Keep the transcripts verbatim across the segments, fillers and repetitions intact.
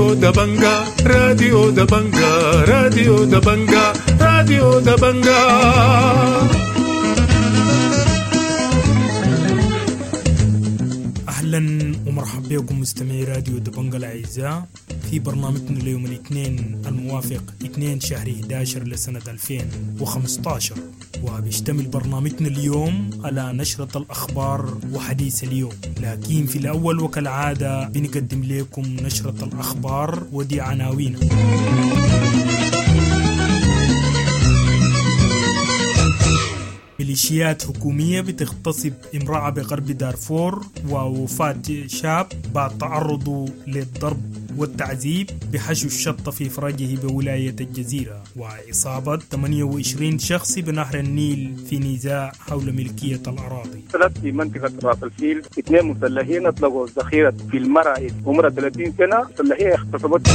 راديو دبنجا راديو دبنجا راديو دبنجا راديو دبنجا. أهلا ومرحبا بكم مستمعي راديو دبنجا الأعزاء في برنامجنا اليوم الاثنين الموافق اثنين شهر إحدى عشر لسنة ألفين وخمسة عشر، وبيشتمل برنامجنا اليوم على نشرة الأخبار وحديث اليوم. لكن في الأول وكالعادة بنقدم لكم نشرة الأخبار ودي عناوين. ميليشيات حكومية بتغتصب امرأة بغرب دارفور ووفاة شاب بعد تعرضه للضرب والتعذيب بحشو الشطة في فرجه بولاية الجزيرة، وإصابة ثمانية وعشرين شخص بنهر النيل في نزاع حول ملكية الأراضي. ثلاث في منطقة راس الفيل اثنين مسلحين أطلقوا الذخيرة في المرأة عمرها ثلاثين سنة، مسلحين اغتصبت.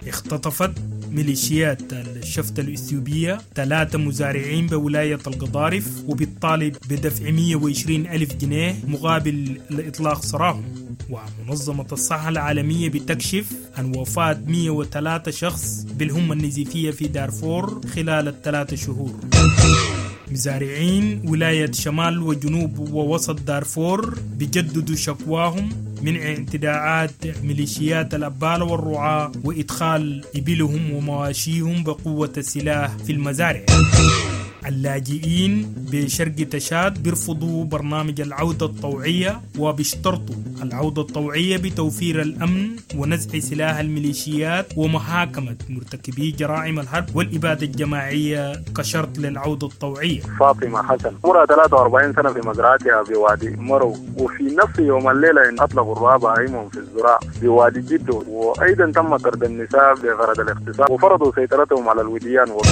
اختطفت ميليشيات الشفت الإثيوبية ثلاثة مزارعين بولاية القضارف وبالطالب بدفع مئة وعشرين ألف جنيه مقابل لإطلاق سراهم. ومنظمة الصحة العالمية بتكشف عن وفاة مئة وثلاثة شخص بالهمة النزيفية في دارفور خلال الثلاثة شهور. مزارعين ولاية شمال وجنوب ووسط دارفور بيجددوا شكواهم من اعتداءات ميليشيات الأبالة والرعاة وإدخال إبلهم ومواشيهم بقوة السلاح في المزارع. اللاجئين بشرق تشاد بيرفضوا برنامج العودة الطوعية وبيشترطوا العودة الطوعية بتوفير الأمن ونزع سلاح الميليشيات ومحاكمة مرتكبي جرائم الحرب والإبادة الجماعية كشرط للعودة الطوعية. فاطمة حسن عمرها ثلاثة وأربعين سنة في مزرعتها بوادي مرو، وفي نفس يوم الليلة إن أطلقوا الرعاة بهائمهم في الزراع بوادي جدو، وأيضا تم طرد النساء بغرض الاغتصاب وفرضوا سيطرتهم على الوديان. و...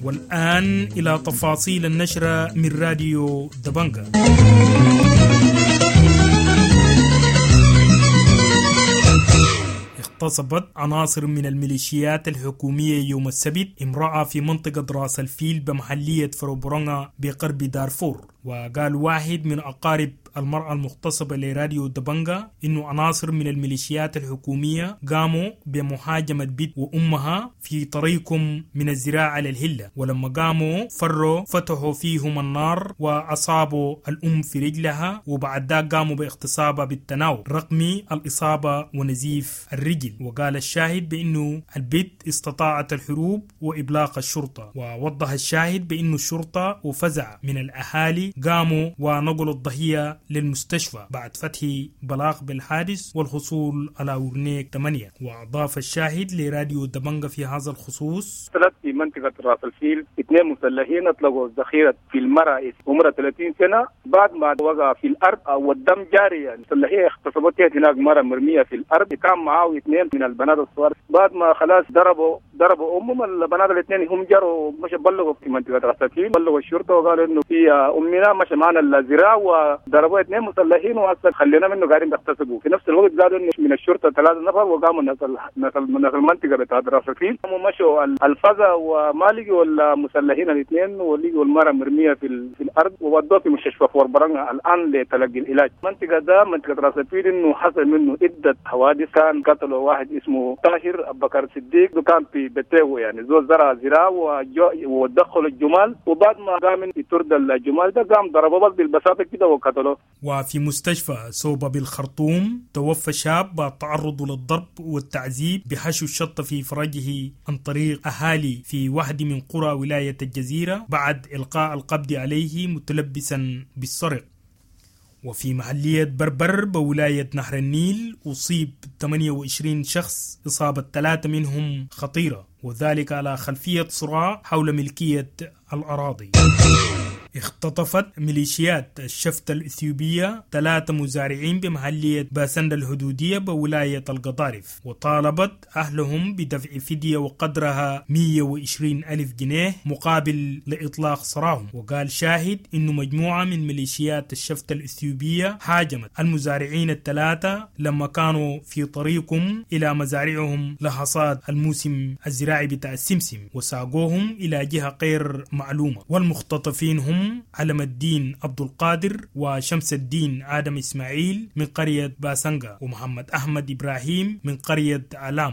والآن إلى تفاصيل النشرة من راديو دبنجا. اغتصبت عناصر من الميليشيات الحكومية يوم السبت امرأة في منطقة راس الفيل بمحلية فروبرونغا بغرب دارفور. وقال واحد من أقارب المرأة المغتصبة لراديو دبنجا إنه عناصر من الميليشيات الحكومية قاموا بمهاجمة بيت وأمها في طريقهم من الزراعة للهلة، ولما قاموا فروا فتحوا فيهم النار وأصابوا الأم في رجلها، وبعد ذلك قاموا باغتصابها بالتناوب رغم الإصابة ونزيف الرجل. وقال الشاهد بأنه البيت استطاعت الهروب وإبلاغ الشرطة، ووضح الشاهد بأنه الشرطة وفزع من الأهالي قاموا ونقلوا الضحية للمستشفى بعد فتح بلاغ بالحادث والحصول على ورنيك ثمانية. وأضاف الشاهد لراديو دبنجا في هذا الخصوص: ثلاث في منطقة راس الفيل اثنين مسلحين أطلقوا الذخيرة في المرأة عمرها ثلاثين سنة بعد ما وقع في الأرض والدم جاري، يعني مسلحين اغتصبت هناك مرأة مرمية في الأرض، كان معاه اثنين من البنات الصغار. بعد ما خلاص ضربوا ضربوا أمهم البنات الاثنين هم جروا مش بلغوا في منطقة راس الفيل، بلغوا الشرطة وقالوا إنه في أمنا مشى معنا الزراعة وضربوا اثنين مسلحين وهسه خلينا منه قاعدين بيغتصبوا. في نفس الوقت قالوا انه من الشرطه ثلاثه نفر وقاموا ناس ناس المنطقه بتاعت راس الفيل مشوا الفزع وما لقوا المسلحين الاثنين ولقوا المراه مرميه في, في الارض وودوها في مستشفى فوربرنغا الان لتلقي العلاج. المنطقه ده منطقه راس الفيل انه حصل منه عده حوادث، كان قتلوا واحد اسمه طاهر ابو بكر صديق كان في بيته، يعني زول زرع زراعه ودخلوا الجمال، وبعد ما قام يطرد الجمال ده قام ضربه بس بالبساطه كده وقتلوه. وفي مستشفى سوبا بالخرطوم توفى شاب بعد تعرضه للضرب والتعذيب بحشو الشطة في فرجه عن طريق أهالي في واحد من قرى ولاية الجزيرة بعد إلقاء القبض عليه متلبسا بالسرقة. وفي محلية بربر بولاية نهر النيل أصيب ثمانية وعشرين شخص، إصابة ثلاثة منهم خطيرة، وذلك على خلفية صراع حول ملكية الأراضي. اختطفت ميليشيات الشفت الإثيوبية ثلاثة مزارعين بمحلية باسند الحدودية بولاية القضارف، وطالبت أهلهم بدفع فدية وقدرها مئة وعشرين ألف جنيه مقابل لإطلاق سراهم. وقال شاهد إنه مجموعة من ميليشيات الشفت الإثيوبية هاجمت المزارعين الثلاثة لما كانوا في طريقهم إلى مزارعهم لحصاد الموسم الزراعي بتاع السمسم، وساقوهم إلى جهة غير معلومة. والمختطفين هم وهم علم الدين عبد القادر وشمس الدين آدم إسماعيل من قرية باسنغا ومحمد أحمد إبراهيم من قرية علام.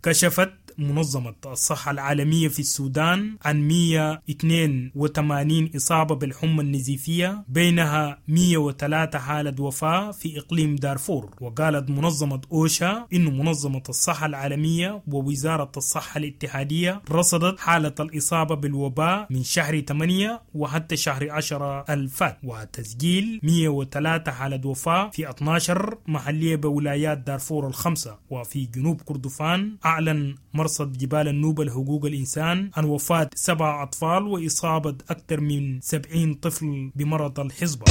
كشفت منظمة الصحة العالمية في السودان عن مئة واثنين وثمانين إصابة بالحمى النزيفية، بينها مئة وثلاثة حالة وفاة في إقليم دارفور. وقالت منظمة أوشا إن منظمة الصحة العالمية ووزارة الصحة الاتحادية رصدت حالة الإصابة بالوباء من شهر ثمانية وحتى شهر عشرة الفات، وتسجيل مئة وثلاثة حالة وفاة في اثني عشر محلية بولايات دارفور الخمسة. وفي جنوب كردفان أعلن مرصد جبال النوبة لحقوق الإنسان عن وفاة سبع أطفال وإصابة أكثر من سبعين طفل بمرض الحصبة.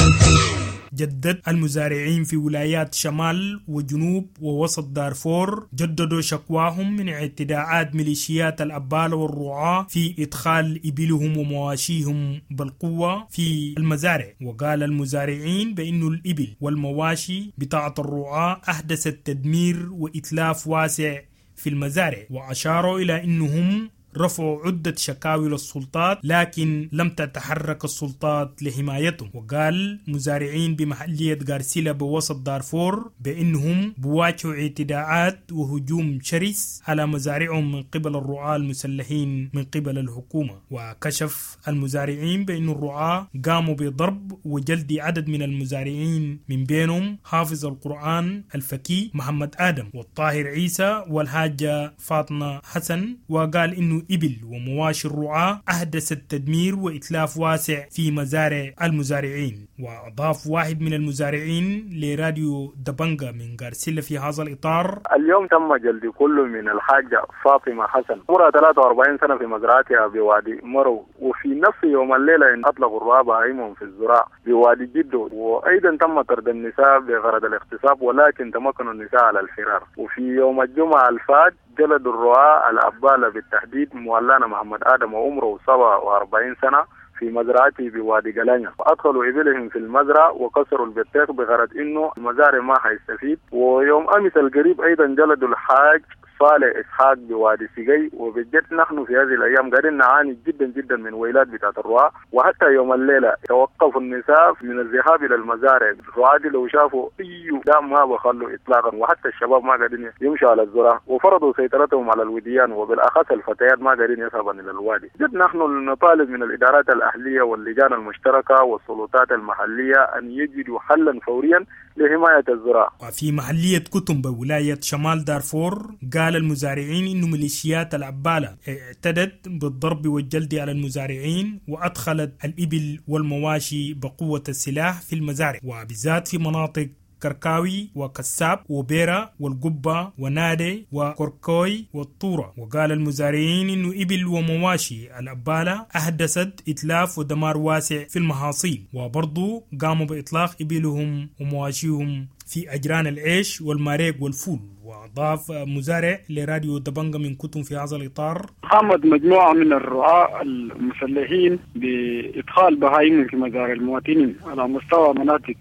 جدد المزارعين في ولايات شمال وجنوب ووسط دارفور جددوا شكواهم من اعتداءات ميليشيات الأبالة والرعاة في إدخال إبلهم ومواشيهم بالقوة في المزارع. وقال المزارعين بأن الإبل والمواشي بتاعة الرعاة أحدثت تدمير وإتلاف واسع في المزارع، وأشاروا إلى أنهم رفعوا عدة شكاوي للسلطات لكن لم تتحرك السلطات لحمايتهم. وقال مزارعين بمحلية غارسيلا بوسط دارفور بأنهم بواجهوا اعتداءات وهجوم شرس على مزارعهم من قبل الرعاة المسلحين من قبل الحكومة. وكشف المزارعين بأن الرعاة قاموا بضرب وجلد عدد من المزارعين من بينهم حافظ القرآن الفكي محمد آدم والطاهر عيسى والحاجة فاطمة حسن. وقال إنه إبل ومواشي الرعاة أحدثت تدمير وإتلاف واسع في مزارع المزارعين. وأضاف واحد من المزارعين لراديو دبنجا من غارسيلا في هذا الإطار: اليوم تم جلد كل من الحاجة فاطمة حسن عمرها ثلاثة وأربعين سنة في مزرعتها بوادي مرو، وفي نفس يوم الليلة أطلقوا الرعاة بهائمهم في الزراع بوادي جدو، وأيضا تم طرد النساء بغرض الاغتصاب ولكن تمكنوا النساء على الفرار. وفي يوم الجمعة الفات جلد الرعاة الأبالة بالتحديد مولانا محمد آدم وعمره سبعة وأربعين سنة في مزرعته بوادي قلانيا، وأدخلوا إبلهم في المزرعة وكسروا البطيخ بغرض إنه المزارع ما حيستفيد. ويوم أمس القريب أيضا جلدوا الحاج صالح إسحاق بوادي سيجي. وبجد نحن في هذه الأيام قاعدين نعاني جدا جدا من ويلات بتاعت الرعاة، وحتى يوم الليلة توقفوا النساء من الذهاب إلى المزارع. الرعاة لو شافوا أي دام ما بخلوا إطلاقا، وحتى الشباب ما قاعدين يمشوا على الزراعة، وفرضوا سيطرتهم على الوديان وبالأخص الفتيات ما قاعدين يذهبن إلى الوادي. جد نحن نطالب من الإدارات الأهلية واللجان المشتركة والسلطات المحلية أن يجدوا حلا فوريا لحماية الزراعة. وفي محلية كتم بولاية شمال دارفور قال المزارعين إن ميليشيات العبالة اعتدت بالضرب والجلد على المزارعين وأدخلت الإبل والمواشي بقوة السلاح في المزارع، وبالذات في مناطق كركاوي وكساب وبيرا والقبة ونادي وكركوي والطورة. وقال المزارعين إنه إبل ومواشي الأبالة أحدثت إتلاف ودمار واسع في المحاصيل، وبرضو قاموا بإطلاق إبلهم ومواشيهم في أجران العيش والماريق والفول. وأضاف مزارع لراديو دبنجا من كتم في هذا الإطار: قامت مجموعة من الرعاة المسلحين بإدخال بهائم في مزارع المواطنين على مستوى مناطق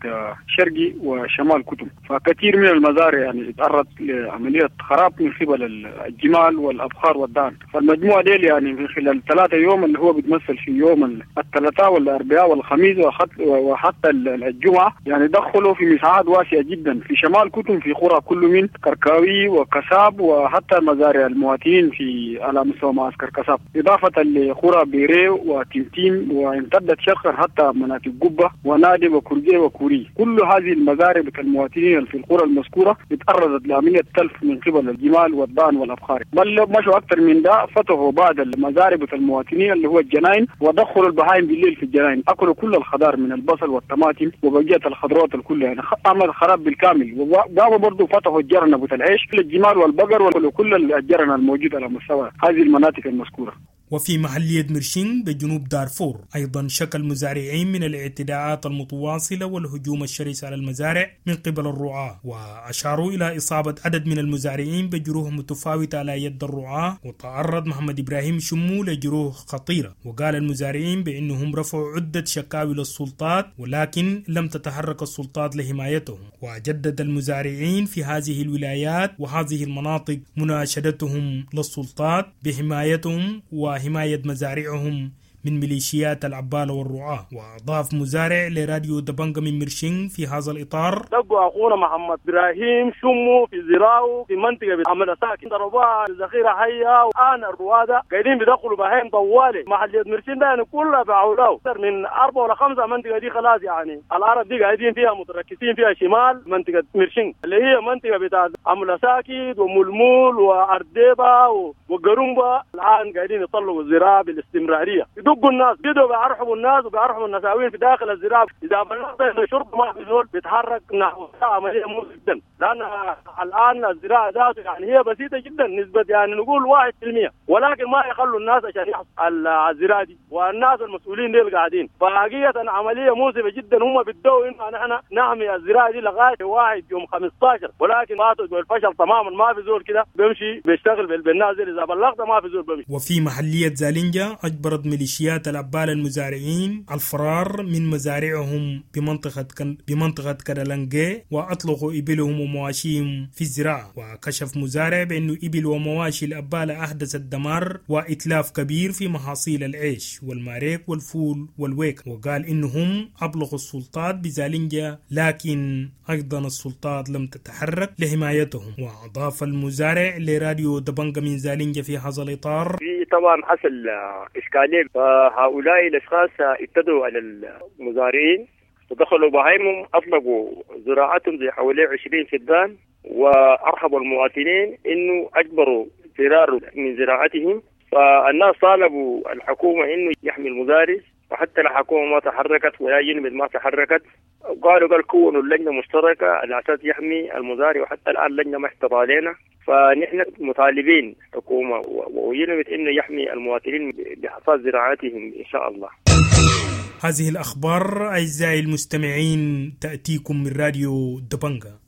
شرقي وشمال كتم، فكثير من المزارع يعني تعرضت لعملية خراب من قبل الجمال والأبخار والدان. فالمجموعة دي يعني من خلال ثلاثة يوم اللي هو بيتمثل في يوم الثلاثاء والأربعاء والخميس وحتى الجمعة يعني دخلوا في مساحات واسعة جدا في شمال كتم في قرى كل من كركاوي وكساب وحتى مزارع المواطنين في على مستوى معسكر كساب، إضافة لقرى بيري وتمتيم، وامتدت شرقا حتى مناطق قبة ونادي وكرجي وكوري. كل هذه المزارع المواطنين في القرى المذكورة اتعرضت لعملية تلف من قبل الجمال والضان والأبخار، بل مشوا أكثر من ده فتحوا بعض المزارع المواطنين اللي هو الجناين ودخلوا البهائم بالليل في الجناين، أكلوا كل الخضار من البصل والطماطم وبقية الخضروات الكل، يعني عمل خراب بالكامل. وقاموا برضه فتحوا الجرن أبو العيش للجمال والبقر وكل الجرن الموجود على مستوى هذه المناطق المذكورة. وفي محلية مرشين بجنوب دارفور أيضا شكى المزارعين من الاعتداءات المتواصلة والهجوم الشرس على المزارع من قبل الرعاة، وأشاروا إلى إصابة عدد من المزارعين بجروح متفاوتة على يد الرعاة، وتعرض محمد إبراهيم شمو لجروح خطيرة. وقال المزارعين بأنهم رفعوا عدة شكاوي للسلطات ولكن لم تتحرك السلطات لحمايتهم. وجدد المزارعين في هذه الولايات وهذه المناطق مناشدتهم للسلطات بحمايتهم وحماية مزارعهم من ميليشيات العبالة والرعاة. وأضاف مزارع لراديو دبنجا من مرشين في هذا الإطار: دقوا أخونا محمد إبراهيم شمو في زراعه في منطقة عمل ساكن، ضربوها ذخيرة حية، والآن الروادة قاعدين بيدخلوا بهايم طوالي محلية مرشين ده يعني كلها بعولاه أكثر من أربعة ولا خمسة منطقة دي خلاص، يعني الأرض دي قاعدين فيها متركزين فيها شمال منطقة مرشين اللي هي منطقة بتاع عمل ساكت وملمول وأرديبة وقرنبة. الآن قاعدين يطلقوا الزراعة بالاستمرارية، يدقوا الناس يدوا بيرحبوا الناس وبيرحبوا النساوين في داخل الزراعة. إذا بلغت الشرطة ما في زول بيتحرك نحو عملية مو جدا، لأن الآن الزراعة ذاته يعني هي بسيطة جدا نسبة يعني نقول واحد في المية، ولكن ما يخلوا الناس عشان يحصل الزراعة دي والناس المسؤولين دي قاعدين. فحقيقة عملية موسفة جدا، هم بدوا إنه نحن نحمي الزراعة دي لغاية واحد يوم خمستاشر، ولكن ما بالفشل تماما، ما في زول كده بيمشي بيشتغل بالناس دي، إذا بلغت ما في زول بيمشي. وفي محلية زالينجا أجبرت ميليشيات العبالة المزارعين الفرار من مزارعهم بمنطقة كن بمنطقة كرالانجي وأطلقوا إبلهم ومواشيهم في الزراعة. وكشف مزارع بأنه إبل ومواشي الأبالة أحدثت دمار وإتلاف كبير في محاصيل العيش والماريك والفول والويك، وقال إنهم أبلغوا السلطات بزالينجا لكن أيضا السلطات لم تتحرك لحمايتهم. وأضاف المزارع لراديو دبنجا من زالينجا في هذا الإطار: في طبعا حصل إشكالية، فهؤلاء الأشخاص ابتدوا على المزارعين ودخلوا بهايمهم، أطلقوا زراعتهم زي حوالي عشرين فدان، وأرحبوا المواطنين إنه أجبروا فرار من زراعتهم. فالناس طالبوا الحكومة إنه يحمي المزارع، وحتى الحكومة ما تحركت ولا ينمد ما تحركت، قالوا قال كونوا اللجنة مشتركة على أساس يحمي المزارع، وحتى الآن اللجنة ما احتضى علينا. فنحن مطالبين حكومة وينمد إنه يحمي المواطنين بحصاد زراعتهم إن شاء الله. هذه الأخبار أعزائي المستمعين تأتيكم من راديو دبنجا.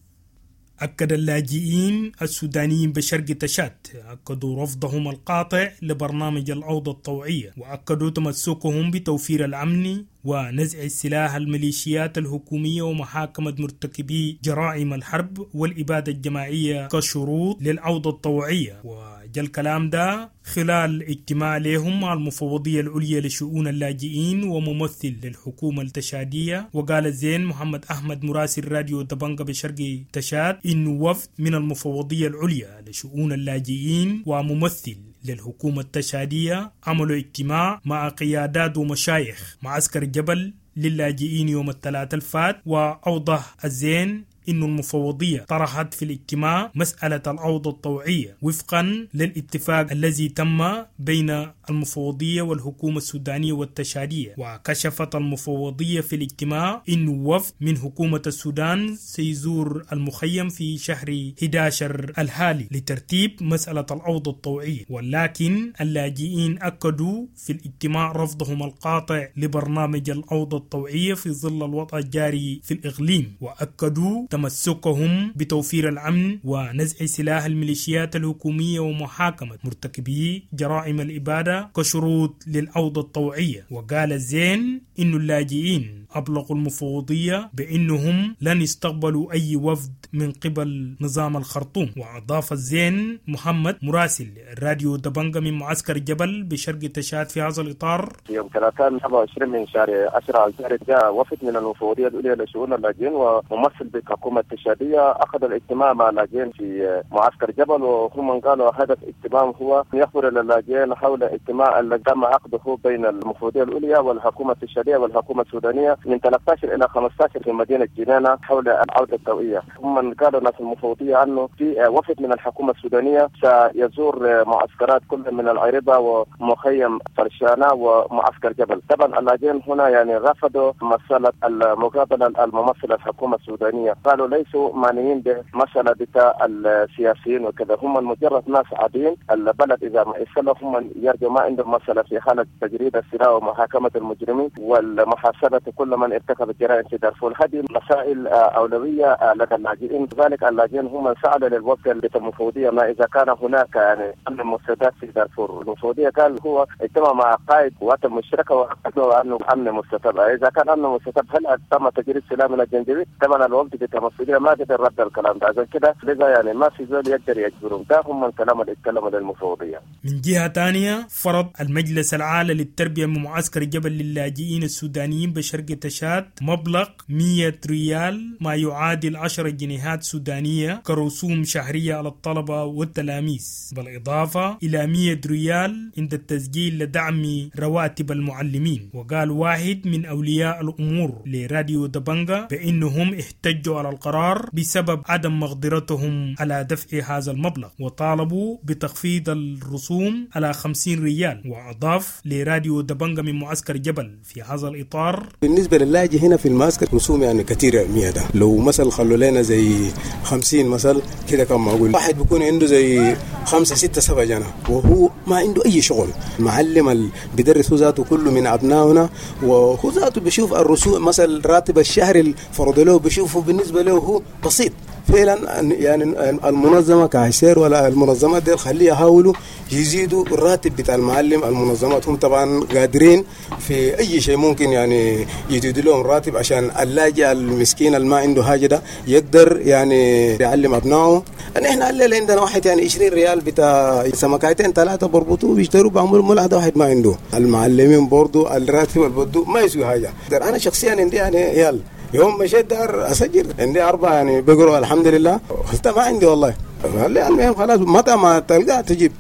أكد اللاجئين السودانيين بشرق تشاد أكدوا رفضهم القاطع لبرنامج العودة الطوعية، وأكدوا تمسكهم بتوفير الأمن ونزع السلاح الميليشيات الحكومية ومحاكمة مرتكبي جرائم الحرب والإبادة الجماعية كشروط للعودة الطوعية. وجاء الكلام ده خلال اجتماع لهم مع المفوضية العليا لشؤون اللاجئين وممثل للحكومة التشادية. وقال زين محمد أحمد مراسل راديو دبنجا بشرق تشاد إنه وفد من المفوضية العليا لشؤون اللاجئين وممثل للحكومة التشادية عملوا اجتماع مع قيادات ومشايخ معسكر جبل للاجئين يوم الثلاثاء الفات. وأوضح الزين إن المفوضية طرحت في الاجتماع مسألة العودة الطوعية وفقا للاتفاق الذي تم بين المفوضية والحكومة السودانية والتشادية. وكشفت المفوضية في الاجتماع إن وفد من حكومة السودان سيزور المخيم في شهر أحد عشر الحالي لترتيب مسألة العودة الطوعية، ولكن اللاجئين أكدوا في الاجتماع رفضهم القاطع لبرنامج العودة الطوعية في ظل الوضع الجاري في الإقليم، وأكدوا تمسكهم بتوفير الأمن ونزع سلاح الميليشيات الحكومية ومحاكمة مرتكبي جرائم الإبادة كشروط للعودة الطوعية. وقال الزين إن اللاجئين أبلغوا المفوضية بأنهم لن يستقبلوا أي وفد من قبل نظام الخرطوم. وأضاف الزين محمد مراسل راديو دبنجا من معسكر جبل بشرق تشاد في هذا الإطار: يوم ثلاثاء سبعة وعشرين من شهر عشرة الجاري جاء وفد من المفوضية العليا لشؤون اللاجئين وممثل بالحكومة التشادية أخذ الاجتماع مع اللاجئين في معسكر جبل، وهم قالوا هدف اجتماعهم هو يخبر اللاجئين حول اجتماع الذي تم عقده بين المفوضية العليا والحكومة التشادية والحكومة السودانية من ثلاثة عشر إلى خمسة عشر في مدينة جنانة حول العودة الطوعية. هم قالوا ناس المفوضية أنه في وفد من الحكومة السودانية سيزور معسكرات كل من العربة ومخيم فرشانة ومعسكر جبل. طبعا اللاجئين هنا يعني رفضوا مسألة المقابلة الممثلة الحكومة السودانية، قالوا ليسوا معنيين بمسألة بتاع السياسيين وكذا، هم مجرد ناس عاديين، البلد إذا ما يصلح هم يرجو ما عندهم مسألة في حالة تجريد السلاح ومحاكمة المجرمين والمحاسبة كل كل من ارتكب الجرائم في دارفور. هذه مسائل اولويه لدى اللاجئين، لذلك اللاجئين هم من سالوا للوفد المفوضيه ما اذا كان هناك يعني امن مستتب في دارفور. المفوضيه قال هو اجتمع مع قائد قوات المشتركه واكدوا انه امن مستتب. اذا كان امن مستتب هل تم تجريد سلاح من الجنجويد؟ طبعا الوفد بتاع المفوضيه ما قدر رد الكلام ده، عشان كده لذا يعني ما في زول يقدر يجبرهم. ده هم الكلام اللي اتكلموا للمفوضيه. من جهه ثانيه فرض المجلس العالي للتربيه من معسكر جبل للاجئين السودانيين بشرق تشاد مبلغ مئة ريال ما يعادل عشرة جنيهات سودانية كرسوم شهرية على الطلبة والتلاميذ، بالإضافة إلى مئة ريال عند التسجيل لدعم رواتب المعلمين. وقال واحد من أولياء الأمور لراديو دبنجا بأنهم احتجوا على القرار بسبب عدم مقدرتهم على دفع هذا المبلغ، وطالبوا بتخفيض الرسوم على خمسين ريال. وأضاف لراديو دبنجا من معسكر جبل في هذا الإطار: بالنسبة للاجئ هنا في المعسكر رسوم يعني كثيرة مية ده، لو مثلا خلوا لنا زي خمسين مثلا كده كان معقول. واحد بيكون عنده زي خمسة ستة سبعة جنة وهو ما عنده أي شغل. المعلم اللي بيدرس هو ذاته كله من أبنائنا، وهو ذاته بيشوف الرسوم مثلا راتب الشهر اللي فرض له بيشوفه بالنسبة له هو بسيط فعلا. يعني المنظمة كعسير ولا المنظمات دي خليها يحاولوا يزيدوا الراتب بتاع المعلم. المنظمات هم طبعا قادرين في أي شيء ممكن يعني يزيدوا لهم راتب عشان اللاجئ المسكين اللي ما عنده حاجة ده يقدر يعني يعلم أبنائه. احنا الليلة عندنا واحد يعني عشرين ريال بتاع سمكتين ثلاثة بربطوه بيشتروا بعملوا ملاحظة، واحد ما عنده. المعلمين برضو الراتب اللي ما يسوي حاجة. أنا شخصيا عندي يعني يال يوم مشيت دار اسجل عندي اربعه يعني بقروا الحمد لله، حتى ما عندي والله. المهم خلاص متى ما تلقى تجيب.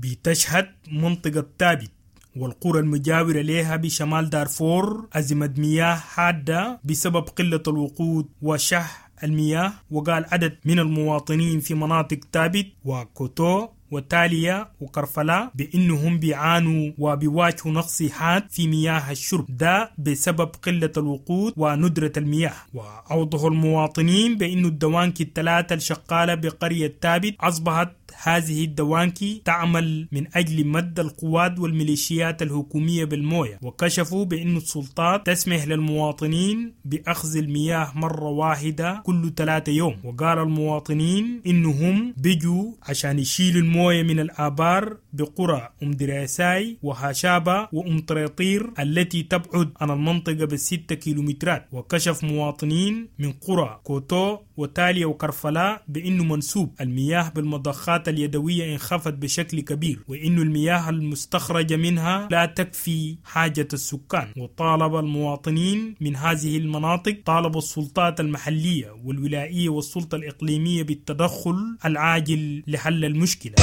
بتشهد منطقة تابت والقرى المجاورة لها بشمال دارفور أزمة مياه حادة بسبب قلة الوقود وشح المياه. وقال عدد من المواطنين في مناطق تابت وكوتو وتاليا وكرفلا بأنهم بيعانوا وبيواجهوا نقص حاد في مياه الشرب، ده بسبب قلة الوقود وندرة المياه. وأوضحوا المواطنين بأن الدوانكي الثلاثة الشقالة بقرية تابت أصبحت هذه الدوانكي تعمل من أجل مد القوات والميليشيات الحكومية بالموية. وكشفوا بأن السلطات تسمح للمواطنين بأخذ المياه مرة واحدة كل ثلاثة يوم. وقال المواطنين إنهم بيجوا عشان يشيلوا الموية من الآبار بقرى أم دراساي وهاشابة وأم طريطير التي تبعد عن المنطقة بالستة كيلومترات. وكشف مواطنين من قرى كوتو وتاليا وكرفلاء بأنه منسوب المياه بالمضخات اليدوية انخفض بشكل كبير، وإن المياه المستخرجة منها لا تكفي حاجة السكان. وطالب المواطنين من هذه المناطق طالبوا السلطات المحلية والولائية والسلطة الإقليمية بالتدخل العاجل لحل المشكلة.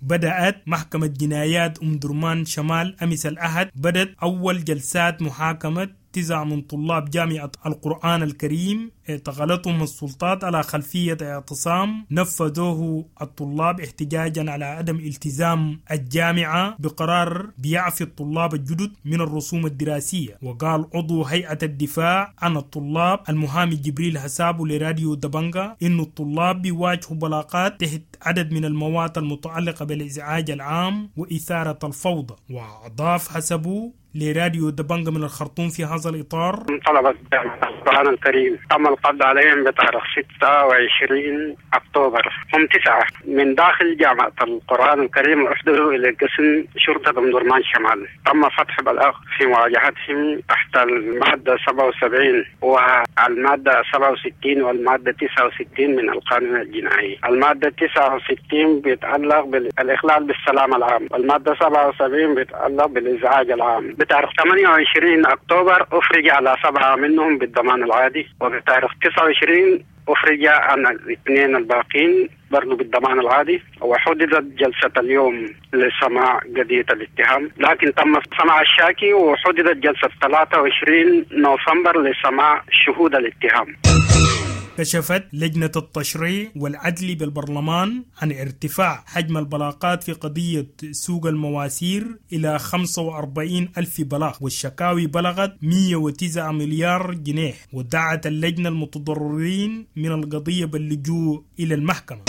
بدأت محكمة جنايات أم درمان شمال أمس الأحد بدأت أول جلسات محاكمة تسعة من طلاب جامعة القرآن الكريم اعتقلتهم السلطات على خلفية اعتصام نفذوه الطلاب احتجاجا على عدم التزام الجامعة بقرار بيعفي الطلاب الجدد من الرسوم الدراسية. وقال عضو هيئة الدفاع عن الطلاب المحامي جبريل حسابه لراديو دبنجا إن الطلاب بيواجهوا بلاغات تحت عدد من المواد المتعلقة بالإزعاج العام وإثارة الفوضى. وأضاف حسبه لراديو دبنجا من الخرطوم في هذا الإطار: طلبة القرآن الكريم تم القبض عليهم بتاريخ ستة وعشرين أكتوبر، هم تسعة من داخل جامعة القرآن الكريم وأحضروا إلى قسم شرطة أم درمان شمال. تم فتح بلاغ في مواجهتهم تحت المادة سبعة وسبعين والمادة سبعة وستين والمادة تسعة وستين من القانون الجنائي. المادة تسعة وستين بيتعلق بالإخلال بالسلام العام، والمادة سبعة وسبعين بيتعلق بالإزعاج العام. بتاريخ ثمانية وعشرين أكتوبر أفرج على سبعة منهم بالضمان العادي، وبتاريخ تسعة وعشرين أفرج عن الاثنين الباقين برضو بالضمان العادي. وحددت جلسة اليوم لسماع قضية الاتهام، لكن تم سماع الشاكي، وحددت جلسة ثلاثة وعشرين نوفمبر لسماع شهود الاتهام. كشفت لجنة التشريع والعدل بالبرلمان عن ارتفاع حجم البلاغات في قضية سوق المواسير إلى خمسة وأربعين ألف بلاغ، والشكاوي بلغت مئة وتسعة مليار جنيه. ودعت اللجنة المتضررين من القضية باللجوء إلى المحكمة.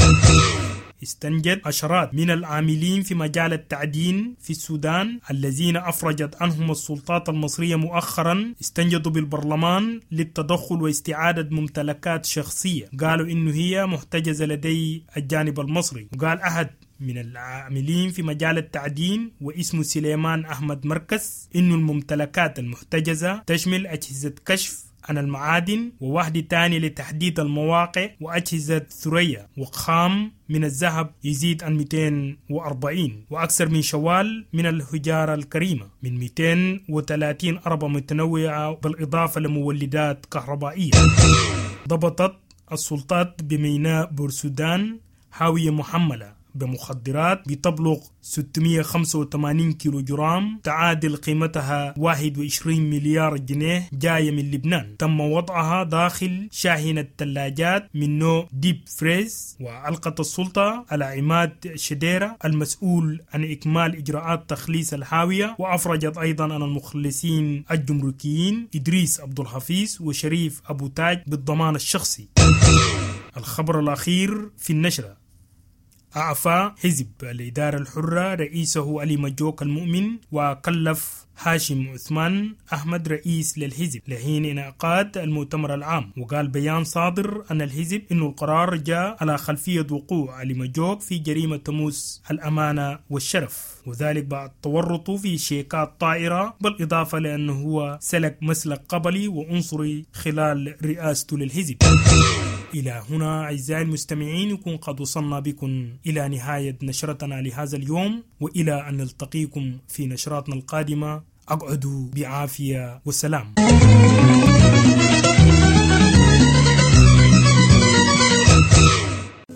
استنجد عشرات من العاملين في مجال التعدين في السودان الذين أفرجت عنهم السلطات المصرية مؤخرا، استنجدوا بالبرلمان للتدخل واستعادة ممتلكات شخصية قالوا إنه هي محتجزة لدي الجانب المصري. وقال أحد من العاملين في مجال التعدين واسمه سليمان أحمد مركز إنه الممتلكات المحتجزة تشمل أجهزة كشف عن المعادن ووحدة تاني لتحديد المواقع وأجهزة ثريا وخام من الذهب يزيد عن مئتين وأربعين وأكثر من شوال من الحجارة الكريمة من مئتين وثلاثين أربة متنوعة بالإضافة لمولدات كهربائية. ضبطت السلطات بميناء بورسودان حاوية محملة بمخدرات بتبلغ ستمئة وخمسة وثمانين كيلو جرام تعادل قيمتها واحد وعشرين مليار جنيه جاية من لبنان، تم وضعها داخل شاحنة ثلاجات من نوع deep freeze. وألقت السلطة على عماد شديرة المسؤول عن إكمال إجراءات تخليص الحاوية، وأفرجت أيضا عن المخلصين الجمركيين إدريس عبد الحفيظ وشريف أبو تاج بالضمان الشخصي. الخبر الأخير في النشرة: أعفى حزب الإدارة الحرة رئيسه علي مجوك المؤمن وكلف هاشم عثمان أحمد رئيس للحزب لحين انعقاد المؤتمر العام. وقال بيان صادر أن الحزب إنه القرار جاء على خلفية وقوع علي مجوك في جريمة تموس الأمانة والشرف، وذلك بعد تورطه في شيكات طائرة، بالإضافة لأنه هو سلك مسلك قبلي وعنصري خلال رئاسته للحزب. إلى هنا أعزائي المستمعين يكون قد وصلنا بكم إلى نهاية نشرتنا لهذا اليوم، وإلى أن نلتقيكم في نشراتنا القادمة أقعدوا بعافية وسلام.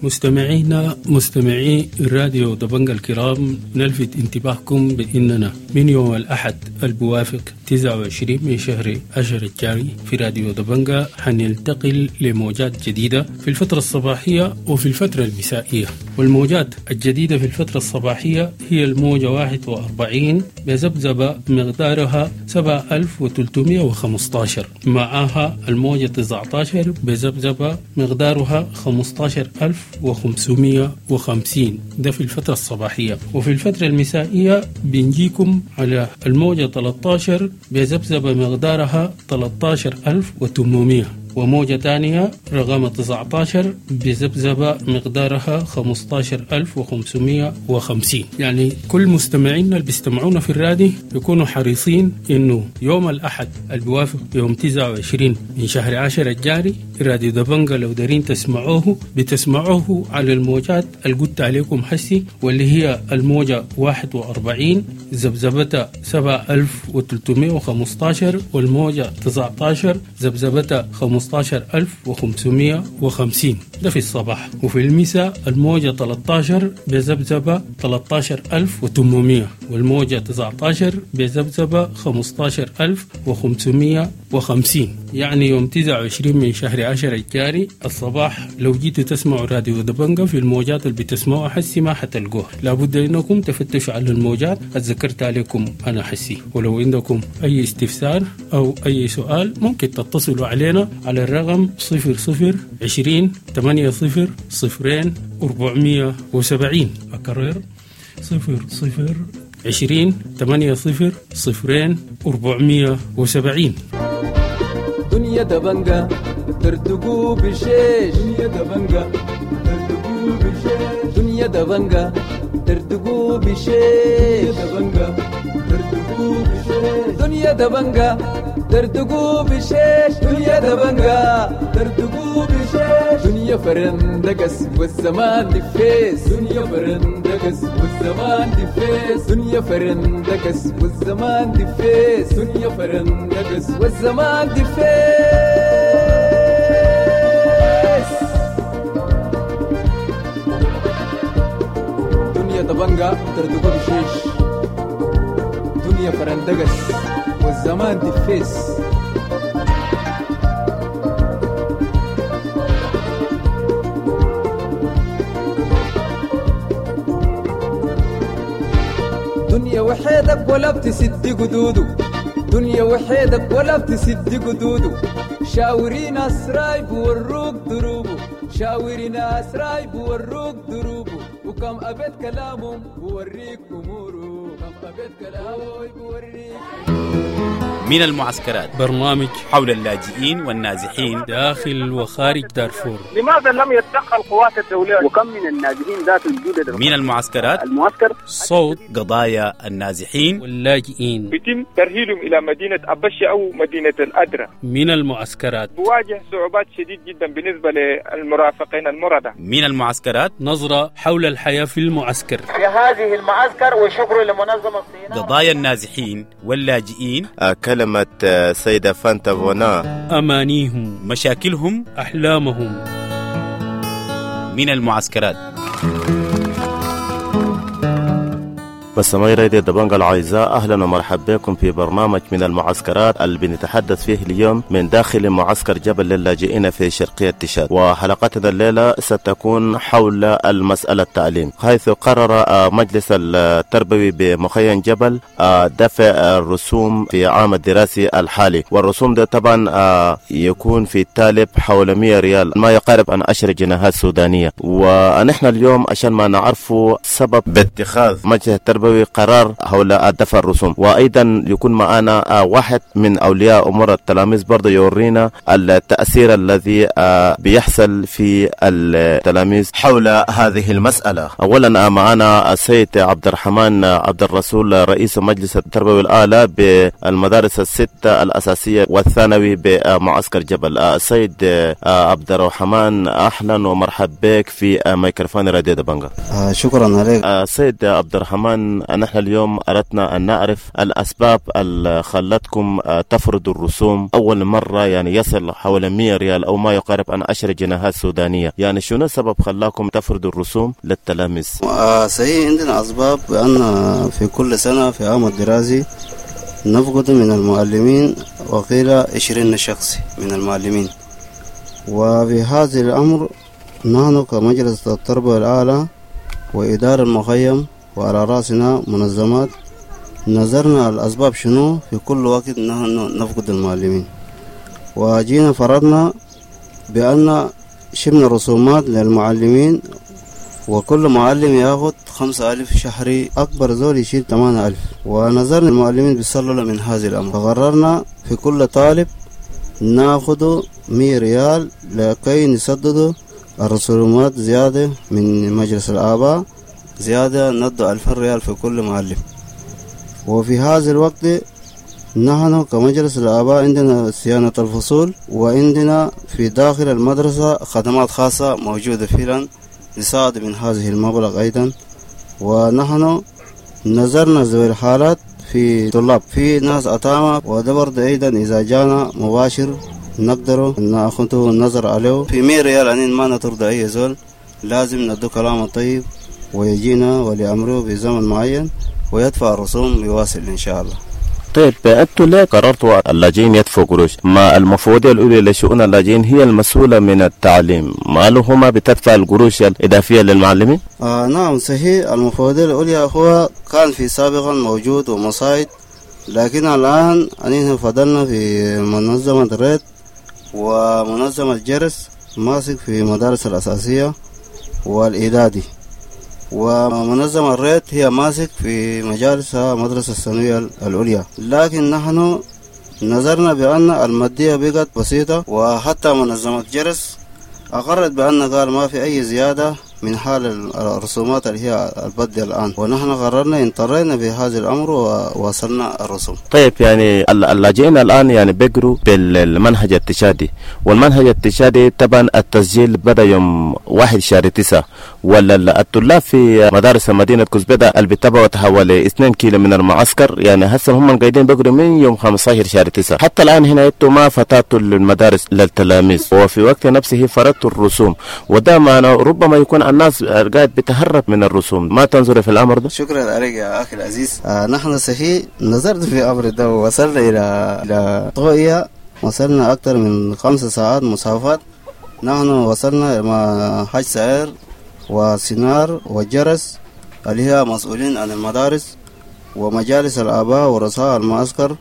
مستمعينا مستمعي الراديو دبنجا الكرام، نلفت انتباهكم بأننا من يوم الأحد البوافق تسعة وعشرين من شهر عشر الجاري في راديو دبنجا حننتقل لموجات جديدة في الفترة الصباحية وفي الفترة المسائية. والموجات الجديدة في الفترة الصباحية هي الموجة واحد وأربعين بذبذبة مقدارها سبعة آلاف وثلاثمئة وخمسة عشر، معها الموجة تسعة عشر بذبذبة مقدارها خمسة عشر ألف وخمسمئة وخمسين، ده في الفترة الصباحية. وفي الفترة المسائية بنجيكم على الموجة ثلاثة عشر بذبذبة مقدارها ثلاثة عشر ألف وثمانمئة، وموجة تانية رقم تسعة عشر بذبذبة مقدارها خمسة عشر ألف وخمسمئة وخمسين. يعني كل مستمعينا اللي بيستمعونا في الراديو يكونوا حريصين إنه يوم الأحد البوافق يوم تسعة وعشرين من شهر عشر الجاري راديو دبنجا لو دارين تسمعوه بتسمعوه على الموجات اللي قلت عليكم حسي، واللي هي الموجة واحد وأربعين ذبذبتها سبعة آلاف وثلاثمئة وخمسة عشر، والموجة تسعة عشر ذبذبتها خمسة عشر ألف وخمسمئة وخمسين، ده في الصباح. وفي المساء الموجة ثلاثة عشر بذبذبة ثلاثة عشر ألف وثمانمئة، والموجة تسعة عشر بذبذبة خمسة عشر ألف وخمسمئة وخمسين. يعني يوم تسعة وعشرين من شهر عشر الجاري الصباح لو جيتوا تسمعوا راديو دبنجا في الموجات اللي بتسمعوها حسي ما حتلقوها، لابد انكم تفتشوا على الموجات اتذكرت عليكم انا حسي. ولو عندكم اي استفسار او اي سؤال ممكن تتصلوا علينا على الرقم صفر صفر عشرين ثمانية صفر صفرين أربعمية وسبعين. أكرر صفر صفر عشرين ثمانية صفر صفرين أربعمية وسبعين. دنيا دبنجا ترتقو بشيش، دنيا دبنجا ترتقو بشيش، دنيا دبنجا ترتقو بشيش، دبنجا ترتقو بشيش، دنيا دبنجا ترتقو بشيش، دنيا دبنجا ترتقو بشيش، دنيا فرندقس والزمان دفيس، دنيا فرندقس والزمان دفيس، دنيا فرندقس والزمان دفيس، دنيا فرندقس والزمان دفيس. دنيا دبنجا ترتقو بشيش، دنيا فرندقس والزمان دفيس. دنيا وحيدك ولا بتسد قدودك، دنيا وحيدك ولا بتسد قدوده، شاوري ناس رايب وروك دروبه، شاوري ناس رايب وروك دروبه، وكم أبيت كلامهم بوريك أموره، كم أبيت كلامه بوريك. من المعسكرات برنامج حول اللاجئين والنازحين داخل وخارج دارفور. لماذا لم يتدخل القوات الدولية؟ وكم من النازحين ذات الجودة من المعسكرات المعسكر صوت قضايا النازحين واللاجئين يتم ترهيلهم إلى مدينة أبشة أو مدينة الأدرة. من المعسكرات بواجه صعوبات شديد جدا بالنسبة للمرافقين المرضى. من المعسكرات نظرة حول الحياة في المعسكر في هذه المعسكر، وشكر لمنظمة الصين. قضايا النازحين واللاجئين، كلمة سيدة فانتا فونا، أمانيهم، مشاكلهم، أحلامهم. من المعسكرات. مستمعي راديو دبنجا الأعزاء، أهلا ومرحبا بكم في برنامج من المعسكرات اللي بنتحدث فيه اليوم من داخل معسكر جبل للاجئين في شرقية تشاد. وحلقتنا الليلة ستكون حول المسألة التعليم، حيث قرر مجلس التربوي بمخيم جبل دفع الرسوم في عام الدراسي الحالي، والرسوم ده طبعا يكون في الطالب حول مئة ريال، ما يقارب عن عشر جنيهات سودانية. ونحن اليوم عشان ما نعرفوا سبب باتخاذ مجلس التربوي قرار حول دفع الرسوم، وايضا يكون معنا واحد من اولياء امور التلاميذ برضه يورينا التاثير الذي بيحصل في التلاميذ حول هذه المساله. اولا معنا السيد عبد الرحمن عبد الرسول، رئيس مجلس التربوي الاعلى بالمدارس الستة الاساسيه والثانوي بمعسكر جبل. السيد عبد الرحمن، اهلا ومرحبا بك في ميكروفون راديو دبنجا. شكرا عليك. السيد عبد الرحمن، نحن اليوم أردنا أن نعرف الأسباب اللي خلتكم تفرضوا الرسوم أول مرة، يعني يصل حوالي مئة ريال أو ما يقارب عن عشر جنيهات سودانية. يعني شنو السبب خلاكم تفرضوا الرسوم للتلاميذ؟ آه صحيح، عندنا أسباب بأن في كل سنة في عام الدراسي نفقد من المعلمين وقيل عشرين شخص من المعلمين، وفي هذا الأمر نحن كمجلس التربية الأعلى وإدارة المخيم وعلى رأسنا منظمات نظرنا الأسباب شنو في كل وقت نحن نفقد المعلمين، وجينا فرضنا بأن شمنا رسومات للمعلمين، وكل معلم ياخد خمسة ألف شهري، أكبر زول يشيل ثمانية ألف. ونظرنا المعلمين بيصلوا من هذا الأمر، فقررنا في كل طالب ناخده مية ريال لكي نسدده الرسومات زيادة من مجلس الآباء، زيادة ندو ألف ريال في كل معلم. وفي هذا الوقت نحن كمجلس الآباء عندنا صيانة الفصول، وعندنا في داخل المدرسة خدمات خاصة موجودة فعلا نساعد من هذه المبلغ أيضا. ونحن نظرنا ذوي الحالات في طلاب، في ناس أتامى، وده برضه أيضا إذا جانا مباشر نقدر نأخذه النظر عليه في مية ريال. أنين ما نطرد أي زول، لازم ندو كلام طيب ويجينا ولأمره بزمن معين ويدفع الرسوم ويواصل إن شاء الله. طيب أنتوا ليه قررتوا اللاجئين يدفعوا قروش؟ ما المفوضية الأولى لشؤون اللاجئين هي المسؤولة من التعليم، ما لهما بتدفع القروش الإضافية للمعلمين؟ آه نعم صحيح، المفوضية الأولى هو كان في سابقا موجود ومصايد، لكن الآن أننا فضلنا في منظمة ريد ومنظمة جرس ماسك في مدارس الأساسية والإعدادي، ومنظمة الريت هي ماسك في مجالس مدرسة الثانوية العليا. لكن نحن نظرنا بأن المادية بقت بسيطة، وحتى منظمة جرس أقرت بأن قال ما في أي زيادة من حال الرسومات اللي هي البدء الآن، ونحن قررنا انطرينا في هذا الأمر ووصلنا الرسوم. طيب يعني اللاجئين الآن يعني بيقروا بالمنهج التشادي، والمنهج التشادي طبعا التسجيل بدأ يوم واحد شهر تسعة، ولا الطلاب في مدارس مدينة كزبدة اللي بتبعد حوالي اثنين كيلو من المعسكر، يعني هسه هم قاعدين بيقروا من يوم خمسة عشر شهر تسعة حتى الآن. هنا انتوا ما فتحتوا المدارس للتلاميذ، وفي وقت نفسه فرضتوا الرسوم، وده معناه ربما يكون الناس قاعد بتهرب من الرسوم. ما تنظر في الأمر ده؟ شكرا عليك يا أخي العزيز. آه نحن صحيح نظرت في أمر ده ووصلنا إلى إلى طوية، وصلنا أكثر من خمس ساعات مسافات. نحن وصلنا مع حاج سعير وسنار وجرس اللي هي مسؤولين عن المدارس ومجالس الآباء ورؤساء المعسكر،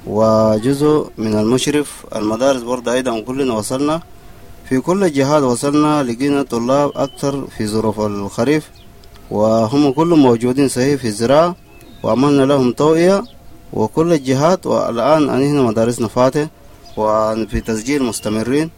وجزء من المشرف المدارس برضه أيضا كلنا وصلنا في كل الجهات، وصلنا لقينا طلاب أكثر في ظروف الخريف وهم كلهم موجودين صحيح في الزراعة، وعملنا لهم توعية وكل الجهات. والآن هنا مدارسنا فاتح وفي تسجيل مستمرين،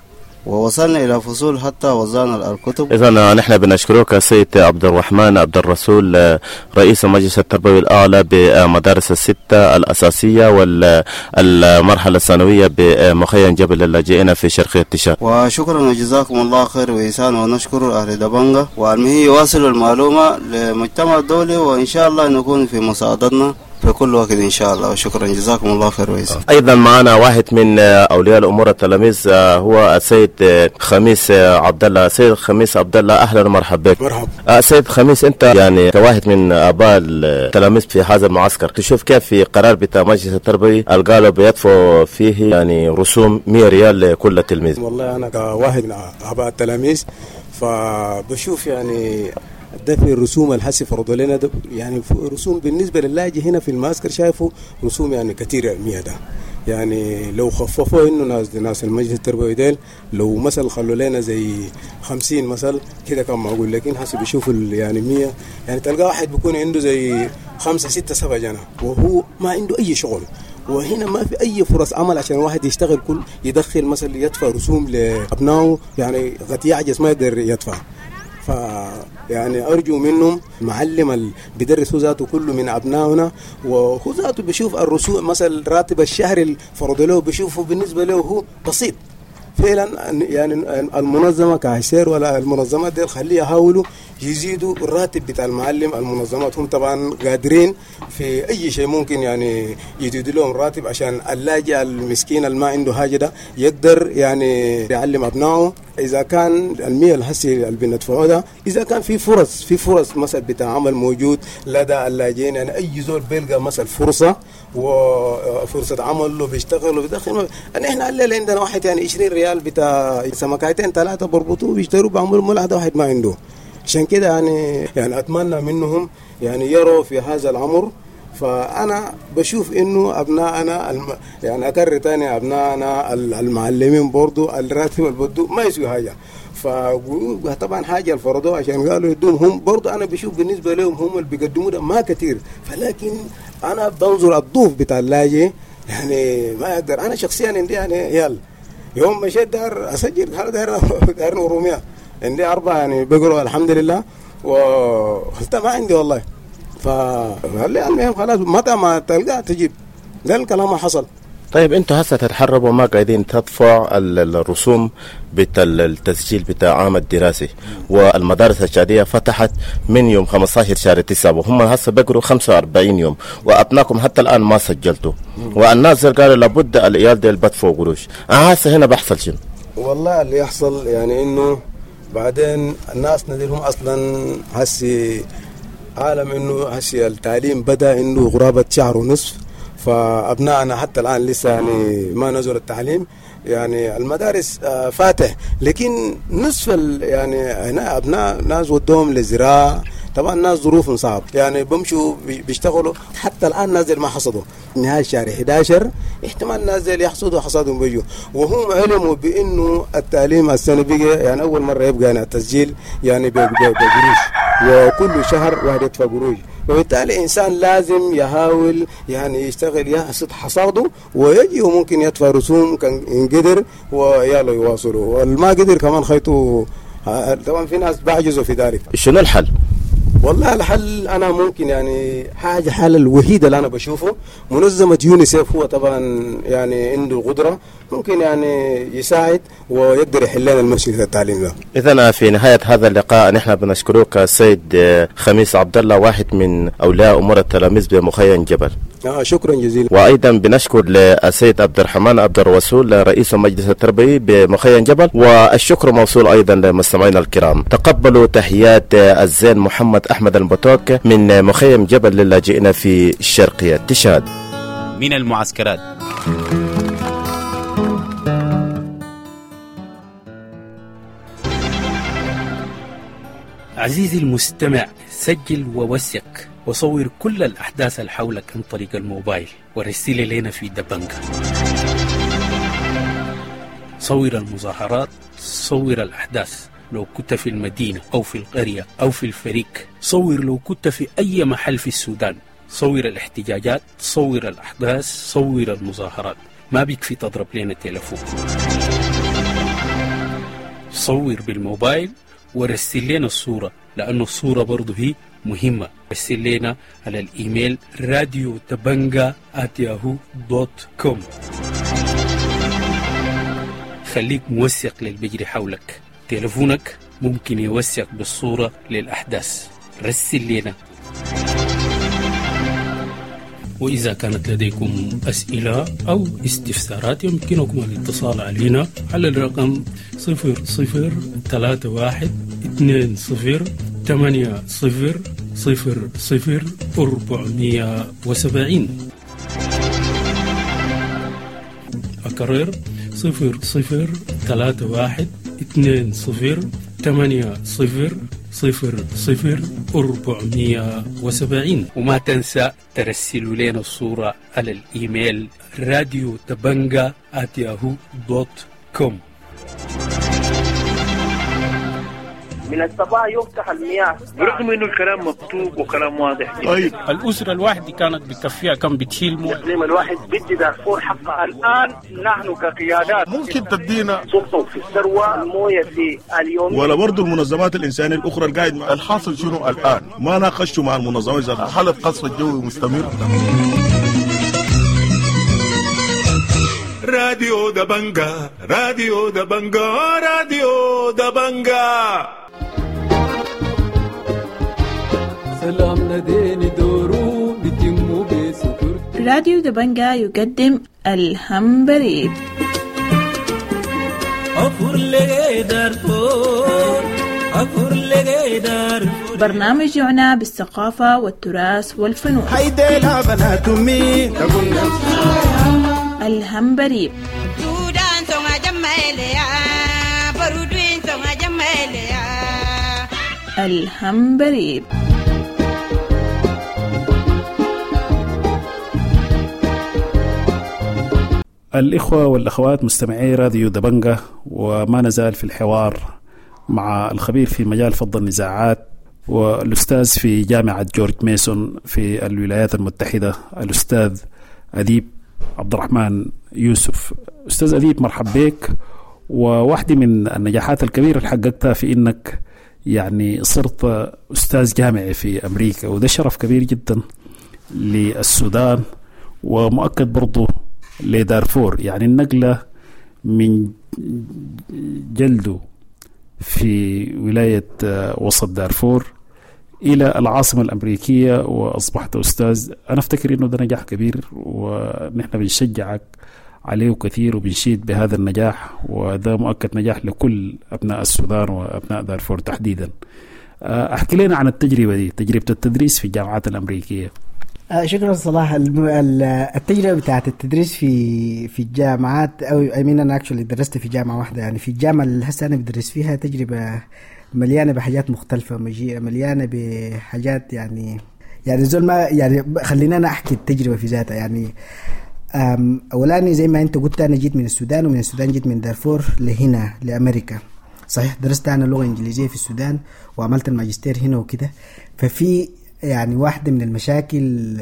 ووصلنا إلى فصول حتى وزعنا الكتب. إذا نحن بنشكرك السيد عبد الرحمن عبد الرسول رئيس مجلس التربوي الأعلى بمدارس الستة الأساسية والمرحلة الثانوية بمخيم جبل اللاجئين في شرقية تشاد. وشكرا وجزاكم الله خير وإحسان، ونشكر أهل دبنجة والمهي يواصل المعلومة للمجتمع الدولي، وإن شاء الله نكون في مساعدتنا في كل وقت إن شاء الله. وشكرا جزاكم الله خير وإحسان. أيضا معنا واحد من أولياء الأمور التلاميذ هو السيد خميس عبد الله. سيد خميس عبد الله أهلا ومرحبا بك. مرحبا. سيد خميس، أنت يعني كواحد من آباء التلاميذ في هذا المعسكر، تشوف كيف في قرار بتاع مجلس التربوي قالوا بيدفعوا فيه يعني رسوم مئة ريال لكل تلميذ؟ والله أنا كواحد من آباء التلاميذ فبشوف يعني دفع الرسوم الحسي فرضوا لنا يعني رسوم بالنسبة للاجئ هنا في المعسكر شايفه رسوم يعني كثيرة مية ده. يعني لو خففوا انه ناس ناس المجلس التربوي ديل لو مثل خلوا لنا زي خمسين مثل كده كان معقول، لكن حسب بيشوفوا يعني مية يعني تلقى واحد بيكون عنده زي خمسة ستة سبعة جنة وهو ما عنده أي شغل، وهنا ما في أي فرص عمل عشان واحد يشتغل كل يدخل مثلا يدفع رسوم لأبنائه، يعني قد يعجز ما يقدر يدفع. ف يعني أرجو منهم معلم اللي بيدرس هو ذاته كله من أبنائنا، وهو ذاته بيشوف الرسوم مثلا راتب الشهر اللي فرض له بيشوفه بالنسبة له هو بسيط فعلا. يعني المنظمة كعسير ولا المنظمات دي خليها يحاولوا يزيدوا الراتب بتاع المعلم. المنظمات هم طبعا قادرين في أي شيء ممكن يعني يزيدوا لهم راتب عشان اللاجئ المسكين اللي ما عنده حاجة ده يقدر يعني يعلم أبنائه. إذا كان المية الحسي اللي بندفعوه ده إذا كان في فرص في فرص مثلا بتاع عمل موجود لدى اللاجئين، يعني أي زول بيلقى مثلا فرصة وفرصة عمل له بيشتغل وبيدخل. يعني إحنا الليلة عندنا واحد يعني عشرين ريال بتاع سمكتين ثلاثة بربطوه بيشتروا بعملوا ملعقة واحد ما عنده. عشان كده يعني يعني أتمنى منهم يعني يروا في هذا الأمر. فأنا بشوف إنه أبنائنا الم... يعني أكرر تاني أبنائنا المعلمين برضو الراتب البدو ما يسوي حاجة، فطبعا حاجة الفرضوه عشان قالوا يدوم هم برضو. أنا بشوف بالنسبة لهم هم اللي بيقدموا ده ما كتير، فلكن أنا بنظر الضوف بتاع اللاجئ يعني ما أقدر. أنا شخصيا عندي يعني يلا يوم مشيت دار أسجل دار دار رومية عندي أربعة يعني بقروا الحمد لله، وخلتها ما عندي والله. فقال لي المهم خلاص متى ما تلقى تجيب، ده الكلام حصل. طيب انتوا هسه تتحربوا ما قاعدين تدفع الرسوم بتاع التسجيل بتاع عام الدراسي، والمدارس الشعبية فتحت من يوم خمسة عشر شهر تسعة وهم هسه بقروا خمسة وأربعين يوم، وابنائكم حتى الان ما سجلتوا، والناس قالوا لابد العيال ديل بدفعوا قروش. انا هسه هنا بحصل شنو؟ والله اللي يحصل يعني انه بعدين الناس نديرهم اصلا هسي عالم انه هسي التعليم بدا انه غرابه شهر ونصف، فابنائنا حتى الان لسه يعني ما نزل التعليم، يعني المدارس فاتح لكن نصف يعني هنا ابناء ناس ودوهم للزراعة، طبعا الناس ظروفهم صعب يعني بمشوا بيشتغلوا حتى الان نازل ما حصدوا نهاية شهر أحد عشر احتمال نازل يحصدوا حصادهم بيجوا، وهم علموا بانه التعليم السنة بقى يعني اول مرة يبقى يعني التسجيل يعني بقروش، وكل شهر واحد يدفع قروش، وبالتالي الانسان لازم يحاول يعني يشتغل يحصد حصاده ويجي وممكن يدفع رسوم كان إن قدر ويلا يواصلوا، والما قدر كمان خيطه. طبعا في ناس بعجزوا في ذلك. شنو الحل؟ والله الحل أنا ممكن يعني حاجة حل الوحيدة اللي أنا بشوفه منظمة يونيسيف، هو طبعا يعني عنده القدرة ممكن يعني يساعد ويقدر يحل لنا المشكلة التعليم ده. إذا في نهاية هذا اللقاء نحن بنشكرك السيد خميس عبد الله واحد من أولياء أمور التلاميذ بمخيم جبل. آه شكرا جزيلا. وأيضا بنشكر للسيد عبد الرحمن عبد الرسول رئيس المجلس التربوي بمخيم جبل، والشكر موصول أيضا لمستمعينا الكرام. تقبلوا تحيات الزين محمد أحمد البتوك من مخيم جبل للاجئين في الشرقية تشاد. من المعسكرات. عزيزي المستمع، سجل ووثق وصور كل الأحداث اللي حولك عن طريق الموبايل ورسل لنا في دبنجة. صور المظاهرات، صور الأحداث لو كنت في المدينة أو في القرية أو في الفريق، صور لو كنت في أي محل في السودان، صور الاحتجاجات، صور الأحداث، صور المظاهرات. ما بيكفي تضرب لنا تليفون، صور بالموبايل ورسل لنا الصورة، لأنه الصورة برضو هي مهمة. رسل لنا على الإيميل راديو دبنجة آت ياهو دوت كوم. خليك موثق للبجري حولك، تليفونك ممكن يوثق بالصورة للأحداث. رسل لنا. وإذا كانت لديكم أسئلة أو استفسارات يمكنكم الاتصال علينا على الرقم صفر صفر ثلاثة واحد اثنين صفر ثمانية صفر صفر صفر أربعمية وسبعين. أكرر صفر صفر ثلاثة واحد اثنين صفر ثمانية صفر صفر صفر أربعمية وسبعين. وما تنسى ترسلوا لنا الصورة على الإيميل راديو دبنجة آت ياهو دوت كوم. من الصباح يفتح المياه برغم انه الكلام مكتوب وكلام واضح جدا. طيب الاسرة الواحدة كانت بتكفيها كم بتشيل مويه؟ الاقليم الواحد بدي دارفور حقها. الان نحن كقيادات ممكن تدينا سلطة في الثروة المويه في اليوم، ولا برضه المنظمات الانسانية الاخرى القاعد مع الحاصل شنو الان؟ ما ناقشوا مع المنظمات ذاتها. حاله قصف الجوي مستمر. راديو دبنجة، راديو دبنجة، راديو دبنجة. سلام نديني دورو بتمو بسكر. راديو دبنجة يقدم الهمبريب. برنامج يعنى بالثقافة والتراث والفنون. الهمبريب. الهمبريب. الإخوة والأخوات مستمعي راديو دبنجة، وما نزال في الحوار مع الخبير في مجال فض النزاعات والأستاذ في جامعة جورج ميسون في الولايات المتحدة الأستاذ أديب عبد الرحمن يوسف. أستاذ أديب، مرحب بك. وواحدة من النجاحات الكبيرة اللي حققتها في إنك يعني صرت أستاذ جامعي في أمريكا، وده شرف كبير جدا للسودان ومؤكد برضو لدارفور. يعني النقلة من جلده في ولاية وسط دارفور إلى العاصمة الأمريكية وأصبحت أستاذ، أنا أفتكر إنه ده نجاح كبير ونحن بنشجعك عليه كثير وبنشيد بهذا النجاح، وده مؤكد نجاح لكل أبناء السودان وأبناء دارفور تحديدا. أحكي لنا عن التجربة دي، تجربة التدريس في الجامعات الأمريكية. شكرا صلاح. التجربة بتاعت التدريس في في الجامعات، او I mean انا actually درست في جامعه واحدة، يعني في الجامعة اللي هسه انا بدرس فيها تجربه مليانة بحاجات مختلفة، مليانة بحاجات يعني يعني زول ما يعني خلينا انا احكي التجربة في ذاتها. يعني اولاني زي ما انت قلت انا جيت من السودان، ومن السودان جيت من دارفور لهنا لامريكا. صحيح درست انا لغة انجليزية في السودان وعملت الماجستير هنا وكده. ففي يعني واحدة من المشاكل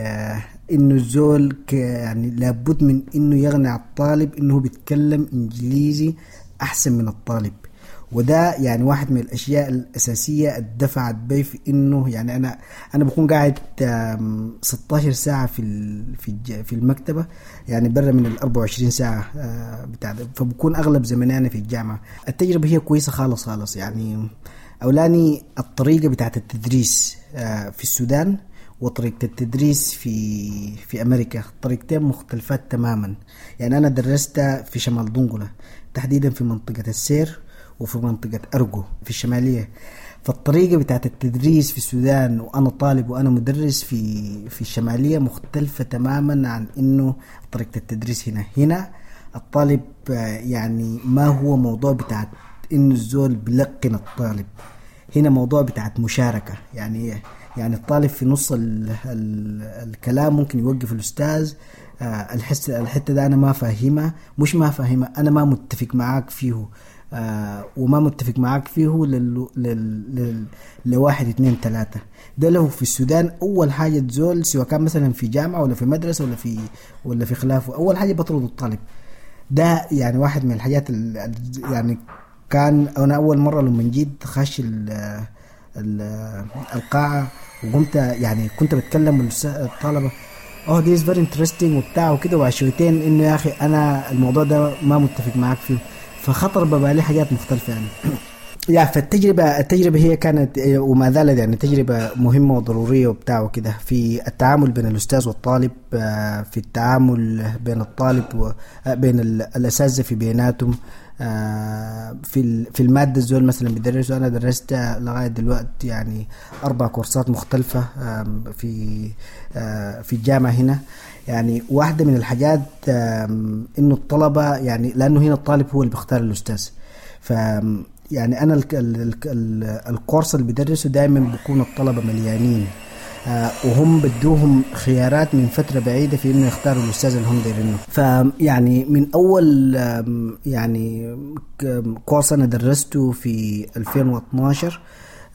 إنه الزول يعني لابد من إنه يغني الطالب إنه بيتكلم إنجليزي أحسن من الطالب، وده يعني واحد من الأشياء الأساسية الدفعت بي في إنه يعني أنا أنا بكون قاعد ستاشر ساعة في في في المكتبة، يعني برا من ال أربعة وعشرين ساعة بتاع، فبكون أغلب زمني أنا في الجامعة. التجربة هي كويسة خالص خالص. يعني أولاني الطريقة بتاعت التدريس في السودان وطريقة التدريس في في أمريكا طريقتين مختلفات تماما. يعني أنا درست في شمال دنقلة تحديدا في منطقة السير وفي منطقة أرجو في الشمالية، فالطريقة بتاعت التدريس في السودان وأنا طالب وأنا مدرس في في الشمالية مختلفة تماما عن إنه طريقة التدريس هنا. هنا الطالب يعني ما هو موضوع بتاع إنه الزول بلقن الطالب، هنا موضوع بتاعت مشاركة، يعني يعني الطالب في نص ال ال الكلام ممكن يوقف الأستاذ، آه الحس الحتة ده أنا ما فاهمها، مش ما فاهمها، أنا ما متفق معاك فيه، آه وما متفق معاك فيه لل لل لل لواحد اتنين تلاتة. ده لو في السودان أول حاجة تزول، سواء كان مثلا في جامعة ولا في مدرسة ولا في ولا في خلافه، أول حاجة بطرد الطالب ده. يعني واحد من الحاجات ال يعني كان أنا أول مرة لما جيت خش ال ال القاعة وقمت يعني كنت بتكلم الطلبة oh this is very interesting وبتاع وكده، وعشويتين إنه يا أخي أنا الموضوع ده ما متفق معاك فيه، فخطر ببالي حاجات مختلفة يعني. يا فالتجربة التجربة هي كانت وما زالت يعني تجربة مهمة وضرورية وبتاع وكده، في التعامل بين الأستاذ والطالب، في التعامل بين الطالب وبين الأساتذة في بيناتهم، في في المادة الزول مثلا بدرسه. أنا درست لغاية دلوقتي يعني أربع كورسات مختلفة في في الجامعة هنا. يعني واحدة من الحاجات إنه الطلبة يعني لأنه هنا الطالب هو اللي بيختار الأستاذ، ف يعني أنا ال ال ال الكورس اللي بدرسه دائما بيكون الطلبة مليانين، آه وهم بدوهم خيارات من فترة بعيدة في إنه يختاروا الأستاذ اللي هم دايرينه. فيعني من أول يعني كورس أنا درسته في ألفين واثناشر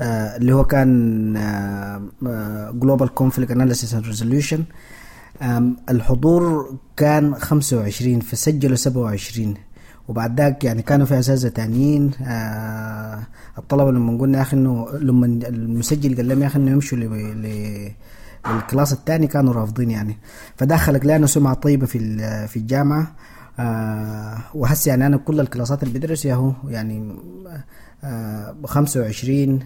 آه اللي هو كان آه Global Conflict Analysis and Resolution، الحضور كان خمسة وعشرين فسجلوا سبعة وعشرين، وبعد ذاك يعني كانوا في أساتذة تانيين. آه الطلبة لما قلنا يا أخي إنه لما المسجل قال لهم يا أخي إنه يمشوا لل class الثاني كانوا رافضين يعني، فدخلك لأنه سمعة طيبة في في الجامعة. آه وحس يعني أنا كل الكلاسات اللي بدرس ياهو يعني آه خمسة وعشرين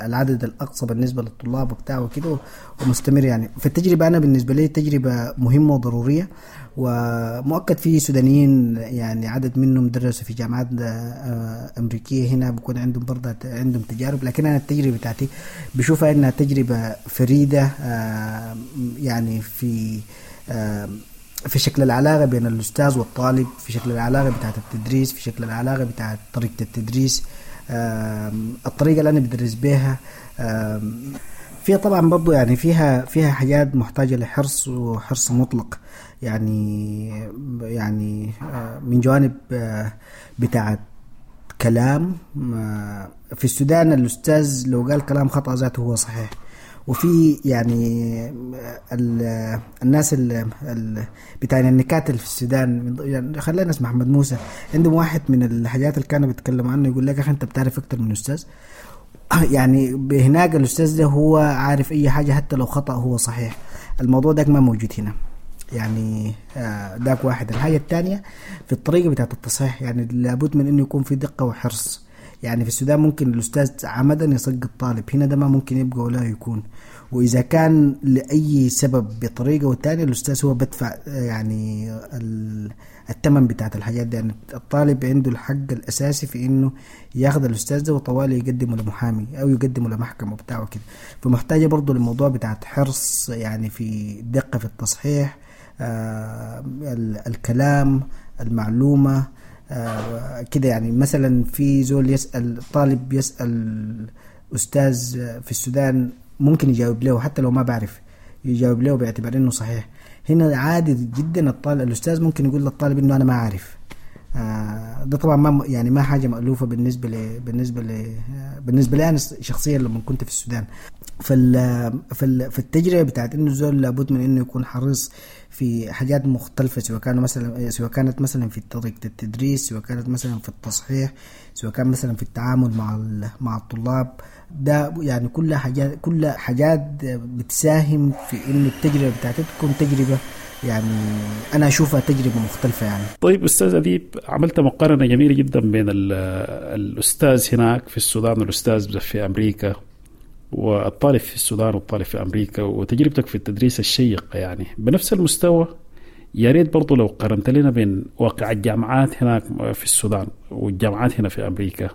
العدد الأقصى بالنسبة للطلاب وبتاع وكده، ومستمر يعني. فالتجربة أنا بالنسبة لي تجربة مهمة وضرورية، ومؤكد في سودانيين يعني عدد منهم درسوا في جامعات أمريكية هنا بيكون عندهم برضه عندهم تجارب، لكن أنا التجربة بتاعتي بشوفها إنها تجربة فريدة آه يعني في آه في شكل العلاقة بين الأستاذ والطالب، في شكل العلاقة بتاعت التدريس، في شكل العلاقة بتاعت طريقة التدريس، الطريقة اللي أنا بدرس بيها. فيها طبعا برضو يعني فيها فيها حاجات محتاجة لحرص وحرص مطلق، يعني يعني من جوانب بتاعت كلام. في السودان الأستاذ لو قال كلام خطأ ذاته هو صحيح، وفي يعني الناس ال بتاع النكات اللي في السودان، يعني خلينا نسمع محمد موسى، عندهم واحد من الحاجات اللي كانوا بيتكلموا عنه يقول لك اخي انت بتعرف اكتر من الاستاذ. يعني هناك الاستاذ ده هو عارف اي حاجه حتى لو خطأ هو صحيح. الموضوع ده ما موجود هنا يعني، داك واحد. الحاجه الثانيه في الطريقه بتاعت التصحيح، يعني لابد من انه يكون في دقه وحرص. يعني في السودان ممكن الأستاذ عمدا يسقط طالب، هنا ده ما ممكن يبقى ولا يكون. وإذا كان لأي سبب بطريقة والتانية الأستاذ هو بدفع يعني الثمن بتاعت الحاجات دي. يعني الطالب عنده الحق الأساسي في إنه ياخذ الأستاذ ده وطوالي يقدمه لمحامي أو يقدمه لمحكمة وبتاعه كده. فمحتاجة برضو الموضوع بتاعت حرص يعني في دقة في التصحيح، آه الكلام، المعلومة، آه كده. يعني مثلا في زول يسأل طالب يسأل أستاذ في السودان ممكن يجاوب له حتى لو ما بعرف، يجاوب له باعتبار إنه صحيح. هنا عادي جدا الطالب الأستاذ ممكن يقول للطالب إنه أنا ما أعرف. آه ده طبعا ما يعني ما حاجة مألوفة بالنسبة ل بالنسبة ل بالنسبة لي أنا شخصيا لما كنت في السودان. فال فال فالتجربة بتاعت إنه الزول لابد من إنه يكون حريص في حاجات مختلفة، سواء كانوا مثلا سواء كانت مثلا في طريقة التدريس، سواء كانت مثلا في التصحيح، سواء كان مثلا في التعامل مع مع الطلاب. ده يعني كل حاجات كل حاجات بتساهم في إنه التجربة بتاعتك تكون تجربة يعني أنا أشوفها تجربة مختلفة يعني. طيب أستاذ أديب، عملت مقارنة جميلة جدا بين الأستاذ هناك في السودان والأستاذ في أمريكا، والطالب في السودان والطالب في أمريكا، وتجربتك في التدريس الشيقة يعني بنفس المستوى. يا ريت برضو لو قارنت لنا بين واقع الجامعات هناك في السودان والجامعات هنا في أمريكا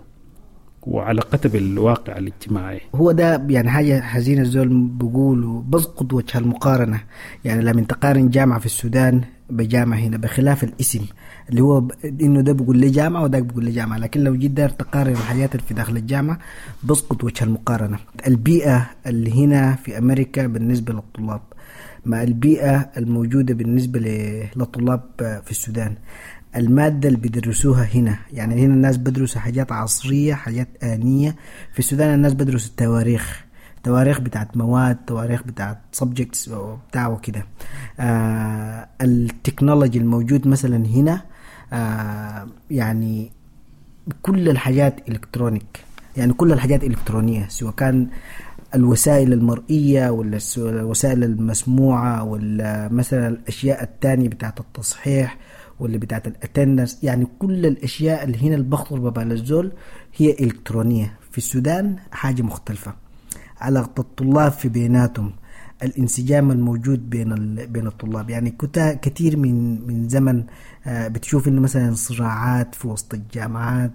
وعلاقتها بالواقع الاجتماعي. هو ده يعني حاجة حزينة، الزول بيقولوا بسقط وجه المقارنة. يعني لما تقارن جامعة في السودان بجامعة هنا، بخلاف الاسم اللي هو انه ده بيقول لي جامعة وده بيقول لي جامعة، لكن لو جيت داير تقارن الحاجات اللي في داخل الجامعة بسقط وجه المقارنة. البيئة اللي هنا في أمريكا بالنسبة للطلاب مع البيئة الموجودة بالنسبة للطلاب في السودان، المادة اللي بيدرسوها هنا، يعني هنا الناس بدرسوا حاجات عصرية، حاجات آنية. في السودان الناس بدرسوا التواريخ، تواريخ بتاعت مواد، تواريخ بتاعت subjects وبتاع وكده. آه ال technology الموجود مثلا هنا، آه يعني كل الحاجات electronic، يعني كل الحاجات إلكترونية، سواء كان الوسائل المرئية ولا الوسائل المسموعة ولا مثلا الأشياء التانية بتاعت التصحيح ولا بتاعت ال attendance، يعني كل الأشياء اللي هنا اللي بخطر ببال الزول هي إلكترونية. في السودان حاجة مختلفة. علاقة الطلاب في بيناتهم، الانسجام الموجود بين بين الطلاب، يعني كثير من من زمن بتشوف انه مثلا صراعات في وسط الجامعات،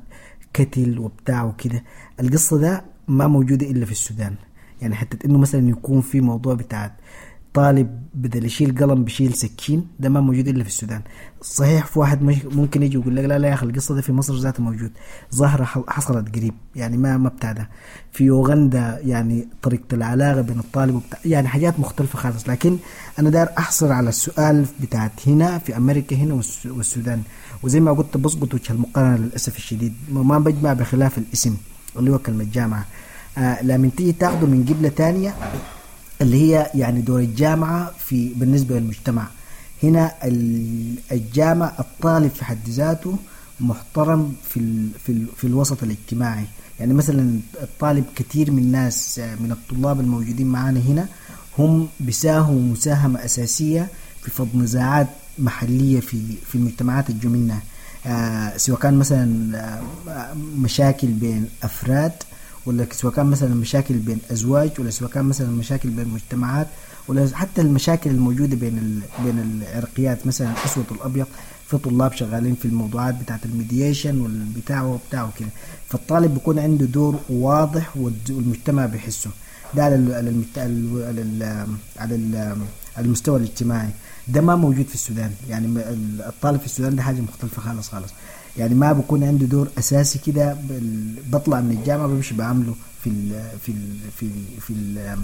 كتل وبتاع وكده. القصة ده ما موجودة إلا في السودان. يعني حتى انه مثلا يكون في موضوع بتاع طالب بدل يشيل قلم بشيل سكين، ده ما موجود إلا في السودان. صحيح في واحد ممكن يجي يقول لك لا لا يا أخي القصة ده في مصر ذاته موجود، ظاهرة حصلت قريب، يعني ما ما بتاع ده. في أوغندا يعني طريقة العلاقة بين الطالب وبتاع، يعني حاجات مختلفة خالص. لكن أنا داير أحصر على السؤال بتاعت هنا في أمريكا هنا والسودان، وزي ما قلت بسقط وجه المقارنة للأسف الشديد، ما بجمع بخلاف الاسم اللي هو كلمة جامعة. آه لما تيجي تاخده من قبلة تانية اللي هي يعني دور الجامعة في بالنسبة للمجتمع هنا، الجامعة الطالب في حد ذاته محترم في ال في ال في الوسط الاجتماعي. يعني مثلا الطالب كثير من الناس من الطلاب الموجودين معانا هنا هم بيساهموا مساهمة أساسية في فض نزاعات محلية في في المجتمعات الجميلة، آه سواء كان مثلا مشاكل بين أفراد، ولا سواء كان مثلا مشاكل بين أزواج، ولا سواء كان مثلا مشاكل بين مجتمعات، ولا حتى المشاكل الموجودة بين ال... بين العرقيات مثلا الأسود والأبيض. في طلاب شغالين في الموضوعات بتاعة ال mediation والبتاع وبتاع وكده. فالطالب بيكون عنده دور واضح والمجتمع بيحسه ده على ال... على المجت... على ال... على على المستوى الاجتماعي. ده ما موجود في السودان. يعني الطالب في السودان ده حاجة مختلفة خالص خالص، يعني ما بكون عنده دور أساسي كده. بطلع من الجامعة بمشي بعمله في ال في ال في ال في ال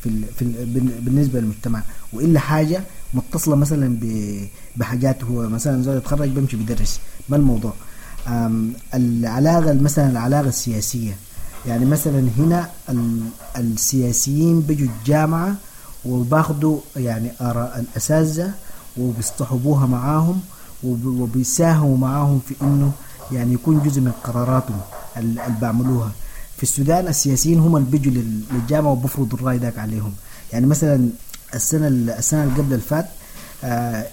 في, ال في ال بالنسبة للمجتمع، وإلا حاجة متصلة مثلا بحاجات هو مثلا زي يتخرج بمشي بدرس. ما الموضوع العلاقة مثلا العلاقة السياسية، يعني مثلا هنا السياسيين بيجوا الجامعة وباخدوا يعني آراء الأساتذة وبيصطحبوها معاهم وبيساهموا معاهم في إنه يعني يكون جزء من قراراتهم اللي بعملوها. في السودان السياسيين هم اللي بيجوا للجامعة وبفرضوا الرأي داك عليهم. يعني مثلا السنة السنة اللي قبل الفات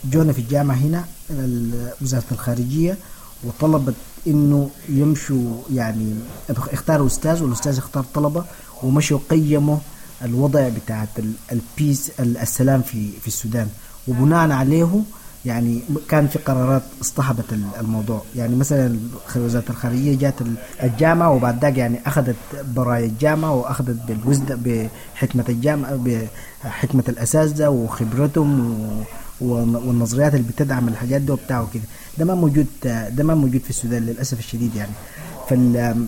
جونا في الجامعة هنا وزارة الخارجية وطلبت إنه يمشوا، يعني اختاروا أستاذ والأستاذ اختار طلبة ومشوا قيموا الوضع بتاعت البيس السلام في في السودان، وبناء عليه يعني كان في قرارات اصطحبت الموضوع. يعني مثلا وزارة الخارجية جات الجامعة وبعد ذاك يعني أخذت براية الجامعة وأخذت بالوزن بحكمة الجامعة بحكمة الأساتذة وخبرتهم والنظريات اللي بتدعم الحاجات دي وبتاع وكده. ده ما موجود، ده ما موجود في السودان للأسف الشديد. يعني فال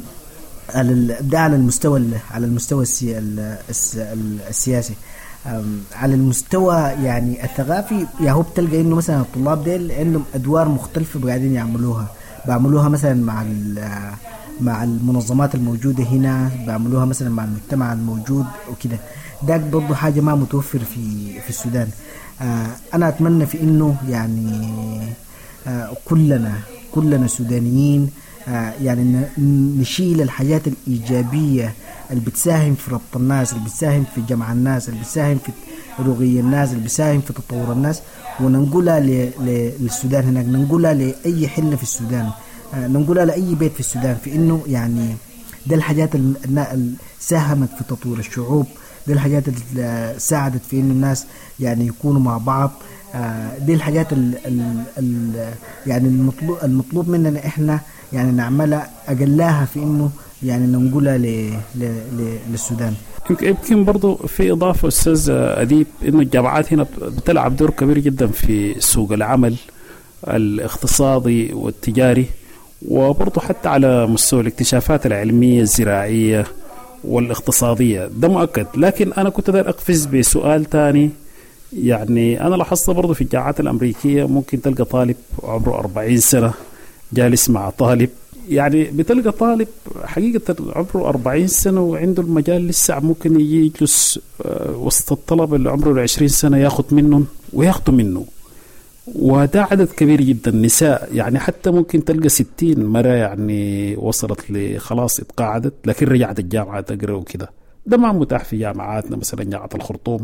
ده على المستوى على المستوى السياسي. على المستوى يعني الثقافي يا هو بتلقى انه مثلا الطلاب ديل عندهم ادوار مختلفه قاعدين يعملوها، بعملوها مثلا مع مع المنظمات الموجوده هنا، بعملوها مثلا مع المجتمع الموجود وكده. ده برضه حاجه ما متوفر في في السودان. انا اتمنى في انه يعني كلنا كلنا سودانيين يعني نشيل الحاجات الإيجابية اللي بتساهم في ربط الناس، اللي بتساهم في جمع الناس، اللي بتساهم في رقي الناس، اللي بتساهم في تطور الناس، وننقلها للسودان هناك، ننقلها لأي حلة في السودان، ننقلها لأي بيت في السودان، في إنه يعني ده الحاجات اللي ساهمت في تطوير الشعوب، دي الحاجات اللي ساعدت في إنه الناس يعني يكونوا مع بعض. دي الحاجات ال ال ال يعني المطلوب المطلوب مننا إحنا يعني نعملها أقلاها في إنه يعني ننقلها للسودان. يمكن برضو في إضافة أستاذ أديب، إنه الجامعات هنا بتلعب دور كبير جدا في سوق العمل الاقتصادي والتجاري، وبرضو حتى على مستوى الاكتشافات العلمية الزراعية والاقتصادية، ده مؤكد. لكن أنا كنت داير أقفز بسؤال تاني، يعني أنا لاحظت برضو في الجامعات الأمريكية ممكن تلقى طالب عمره أربعين سنة جالس مع طالب، يعني بتلقى طالب حقيقة عمره أربعين سنة وعنده المجال لسه ممكن يجي يجلس وسط الطلبة اللي عمره عشرين سنة ياخد منهم وياخدوا منه، وده عدد كبير جدا. نساء يعني حتى ممكن تلقى ستين مرة يعني وصلت لخلاص اتقاعدت لكن رجعت الجامعة تقرأ وكده. ده ما متاح في جامعاتنا، مثلا جامعة الخرطوم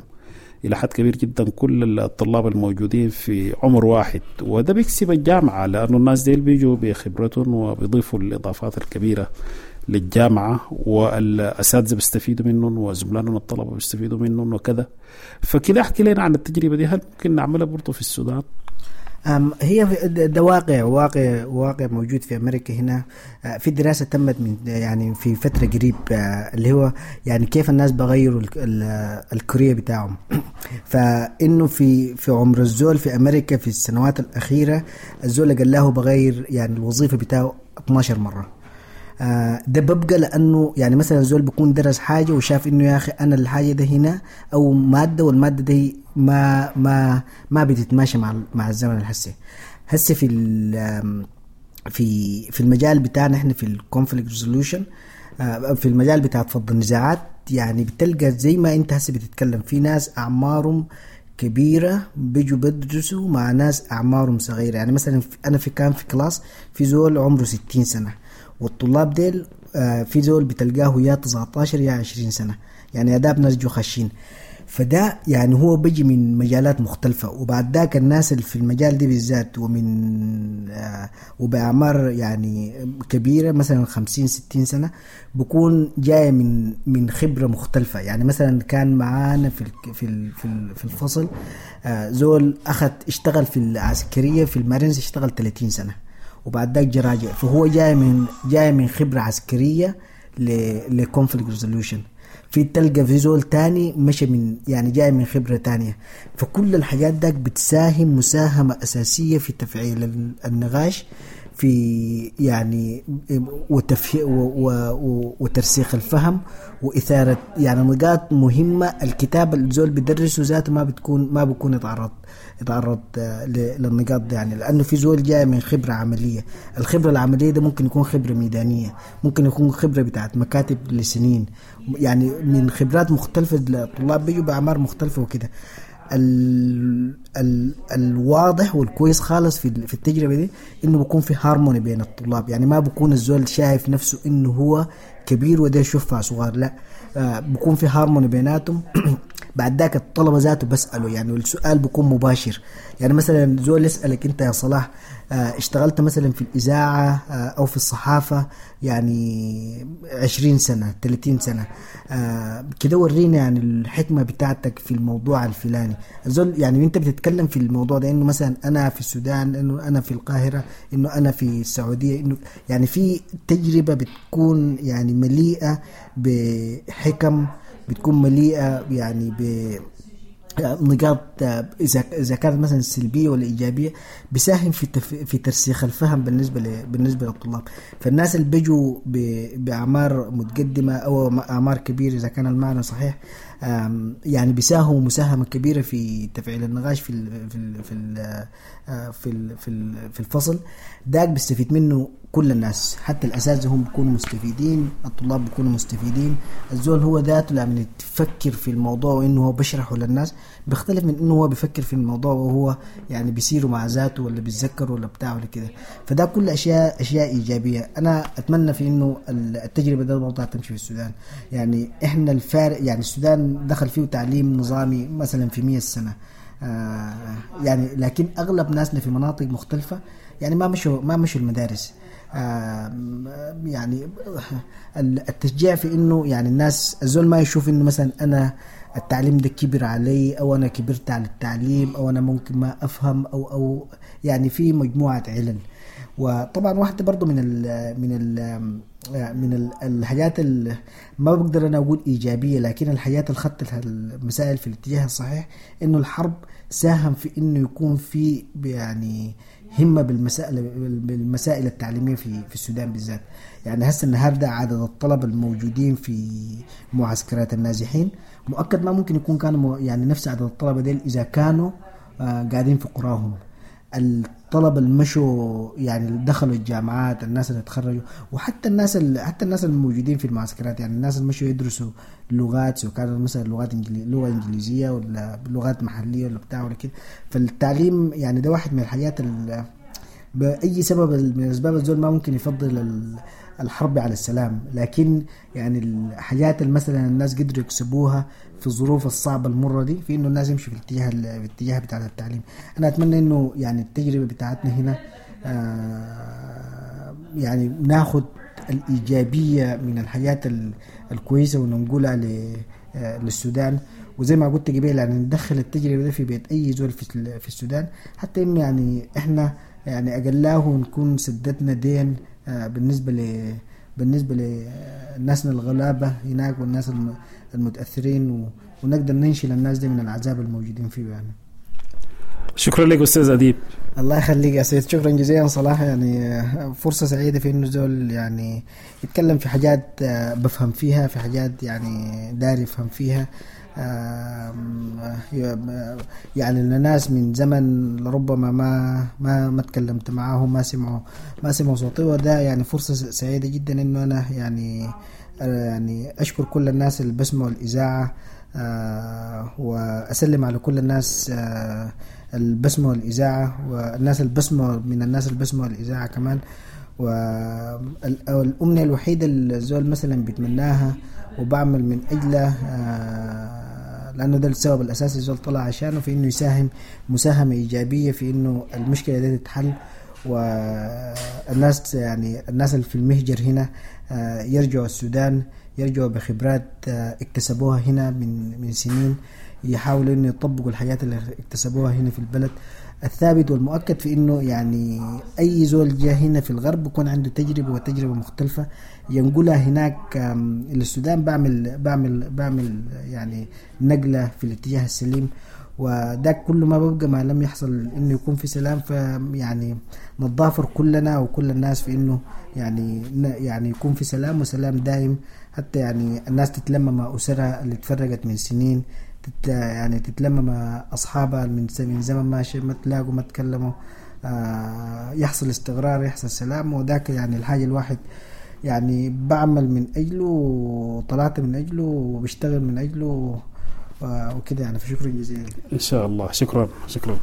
إلى حد كبير جدا كل الطلاب الموجودين في عمر واحد، وده بيكسب الجامعة لأنه الناس ديل بيجوا بخبرتهم وبيضيفوا الإضافات الكبيرة للجامعة، والأساتذة بيستفيدوا منهم وزملائهم الطلبة بيستفيدوا منهم وكذا. فكده أحكي لنا عن التجربة دي، هل ممكن نعملها برضو في السودان؟ هي ده واقع واقع واقع موجود في أمريكا هنا. في دراسة تمت من يعني في فترة قريب اللي هو يعني كيف الناس بغيروا ال career بتاعهم. فإنه في في عمر الزول في أمريكا في السنوات الأخيرة الزول قال له بغير يعني الوظيفة بتاعه اثناشر مرة. ده ببقى لأنه يعني مثلا زول بيكون درس حاجة وشاف إنه يا أخي أنا الحاجة ده هنا أو مادة، والمادة دي ما ما ما بتتماشى مع مع الزمن الحسي. هسه في في في المجال بتاعنا احنا في ال conflict resolution، في المجال بتاع فض النزاعات، يعني بتلقى زي ما انت هسه بتتكلم في ناس اعمارهم كبيرة بيجوا بدرسوا مع ناس اعمارهم صغيرة. يعني مثلا انا في كان في class في زول عمره ستين سنة، والطلاب ديل في زول بتلقاه يا تسعتاشر يا عشرين سنة، يعني اداب ناس جو خشين. فده يعني هو بيجي من مجالات مختلفة، وبعد ذاك الناس اللي في المجال دي بالذات ومن آه وبأعمار يعني كبيرة مثلا خمسين ستين سنة بكون جاي من من خبرة مختلفة. يعني مثلا كان معانا في في في الفصل آه زول أخذ اشتغل في العسكرية في المارينز، اشتغل ثلاثين سنة وبعد ذاك جراجع، فهو جاي من جاي من خبرة عسكرية ل conflict resolution. في تلقى في زول تاني مشى من يعني جاي من خبرة تانية. فكل الحاجات داك بتساهم مساهمة أساسية في تفعيل النقاش في يعني وتفه وترسيخ الفهم وإثارة يعني نقاط مهمة. الكتاب الزول بيدرسه ذاته ما بتكون ما بيكون يتعرض يتعرض للنقاط دي، يعني لأنه في زول جاي من خبرة عملية. الخبرة العملية ده ممكن يكون خبرة ميدانية، ممكن يكون خبرة بتاعت مكاتب لسنين، يعني من خبرات مختلفة. الطلاب بيجوا بأعمار مختلفة وكده. ال ال الواضح والكويس خالص في في التجربة دي انه بيكون في هارموني بين الطلاب، يعني ما بيكون الزول شايف نفسه انه هو كبير وده يشوفها صغار، لا آه بيكون في هارموني بيناتهم. بعد ذاك الطلبة ذاته بسأله، يعني والسؤال بيكون مباشر. يعني مثلا زول يسألك انت يا صلاح آه اشتغلت مثلا في الإذاعة آه أو في الصحافة يعني عشرين سنة ثلاثين سنة آه كده، ورينا يعني الحكمة بتاعتك في الموضوع الفلاني. الزول يعني انت بتتكلم في الموضوع ده انه مثلا انا في السودان، انه انا في القاهرة، انه انا في السعودية، انه يعني في تجربة بتكون يعني مليئة بحكم، بتكون مليئة يعني ب نقاط إذا إذا كانت مثلا سلبية ولا إيجابية، بيساهم في تف... في ترسيخ الفهم بالنسبة ل... بالنسبة للطلاب. فالناس اللي بيجوا ب... بأعمار متقدمة أو أعمار كبيرة إذا كان المعنى صحيح، يعني بيساهموا مساهمة كبيرة في تفعيل النقاش في ال... في ال... في ال... في ال... في ال... في الفصل داك. بيستفيد منه كل الناس، حتى الأساتذة هم بيكونوا مستفيدين، الطلاب بيكونوا مستفيدين. الزول هو ذاته لما يفكر في الموضوع وإنه هو بشرحه للناس بيختلف من إنه هو بيفكر في الموضوع وهو يعني بيسيره مع ذاته ولا بيتذكر ولا بتاع ولا كده. فده كل أشياء أشياء إيجابية. أنا أتمنى في إنه التجربة ده الموضوع تمشي في السودان. يعني إحنا الفارق، يعني السودان دخل فيه تعليم نظامي مثلا في مية سنة آه يعني، لكن أغلب ناسنا في مناطق مختلفة يعني ما مشوا ما مشوا المدارس. يعني التشجيع في انه يعني الناس الزول ما يشوف انه مثلا انا التعليم ده كبر علي، او انا كبرت على التعليم، او انا ممكن ما افهم، او او يعني في مجموعة علل. وطبعا واحدة برضو من ال من ال من ال الحاجات اللي ما بقدر انا اقول ايجابية، لكن الحاجات اللي خدت المسائل في الاتجاه الصحيح، انه الحرب ساهم في انه يكون في يعني همه بالمسائل بالمسائل التعليمية في في السودان بالذات. يعني هسه النهارده عدد الطلبة الموجودين في معسكرات النازحين مؤكد ما ممكن يكون كانوا يعني نفس عدد الطلبة ديل اذا كانوا آه قاعدين في قراهم. الطلبة اللي مشوا يعني دخلوا الجامعات، الناس اللي تخرجوا، وحتى الناس اللي حتى الناس الموجودين في المعسكرات، يعني الناس اللي مشوا يدرسوا لغات، سواء كانت مثلا لغات إنجلي... لغة انجليزية ولا لغات محليه ولا بتاع ولا كده. فالتعليم يعني ده واحد من الحاجات اللي باي سبب من الاسباب الزول ما ممكن يفضل الحرب على السلام، لكن يعني الحاجات اللي مثلا الناس قدروا يكسبوها في الظروف الصعبة المرة دي، في انه الناس يمشوا في الاتجاه في الاتجاه بتاع التعليم. انا اتمنى انه يعني التجربة بتاعتنا هنا آه يعني ناخد الايجابية من الحاجات الكويسة وننقلها للسودان، وزي ما قلت قبل يعني ندخل التجربة دي في بيت اي زول في في السودان، حتى انه يعني احنا يعني اقلاه نكون سددنا دين بالنسبة ل بالنسبة لناسنا الغلابة هناك والناس المتاثرين، ونقدر ننشل الناس دي من العذاب الموجودين فيه يعني. شكرا لك استاذ اديب. الله يخليك يا سيد، شكرا جزيلا صلاح. يعني فرصة سعيدة في انه زول يعني يتكلم في حاجات بفهم فيها، في حاجات يعني داري يفهم فيها. يعني الناس من زمن لربما ما ما ما تكلمت معاهم، ما سمعوا ما سمعوا صوتي، وده يعني فرصة سعيدة جدا انه انا يعني يعني اشكر كل الناس اللي بسمعوا الاذاعة، واسلم على كل الناس اللي بسمعوا الاذاعة، والناس اللي بسمعوا من الناس اللي بسمعوا الاذاعة كمان. والامنية الوحيدة اللي الزول مثلا بيتمناها وبعمل من اجله، لانه ده السبب الاساسي الزول طلع عشانه، في انه يساهم مساهمة ايجابية في انه المشكلة دي تتحل، والناس يعني الناس اللي في المهجر هنا يرجعوا السودان، يرجعوا بخبرات اكتسبوها هنا من من سنين، يحاولوا انه يطبقوا الحاجات اللي اكتسبوها هنا في البلد. الثابت والمؤكد في انه يعني اي زول جاء هنا في الغرب بيكون عنده تجربه، وتجربه مختلفة ينقلها هناك للسودان، بعمل بعمل بعمل يعني نقله في الاتجاه السليم. وده كل ما ببقى ما لم يحصل انه يكون في سلام، فيعني نتضافر كلنا وكل الناس في انه يعني يعني يكون في سلام، وسلام دائم، حتى يعني الناس تتلم مع اسرها اللي تفرقت من سنين، تت يعني تتلم مع اصحابها من من زمن ما ما تلاقوا ما تكلموا، آه يحصل استقرار، يحصل سلام. وذاك يعني الحاجة الواحد يعني بعمل من اجله، وطلعت من اجله، وبشتغل من اجله وكده يعني. فشكرا جزيلا. ان شاء الله. شكرا شكرا.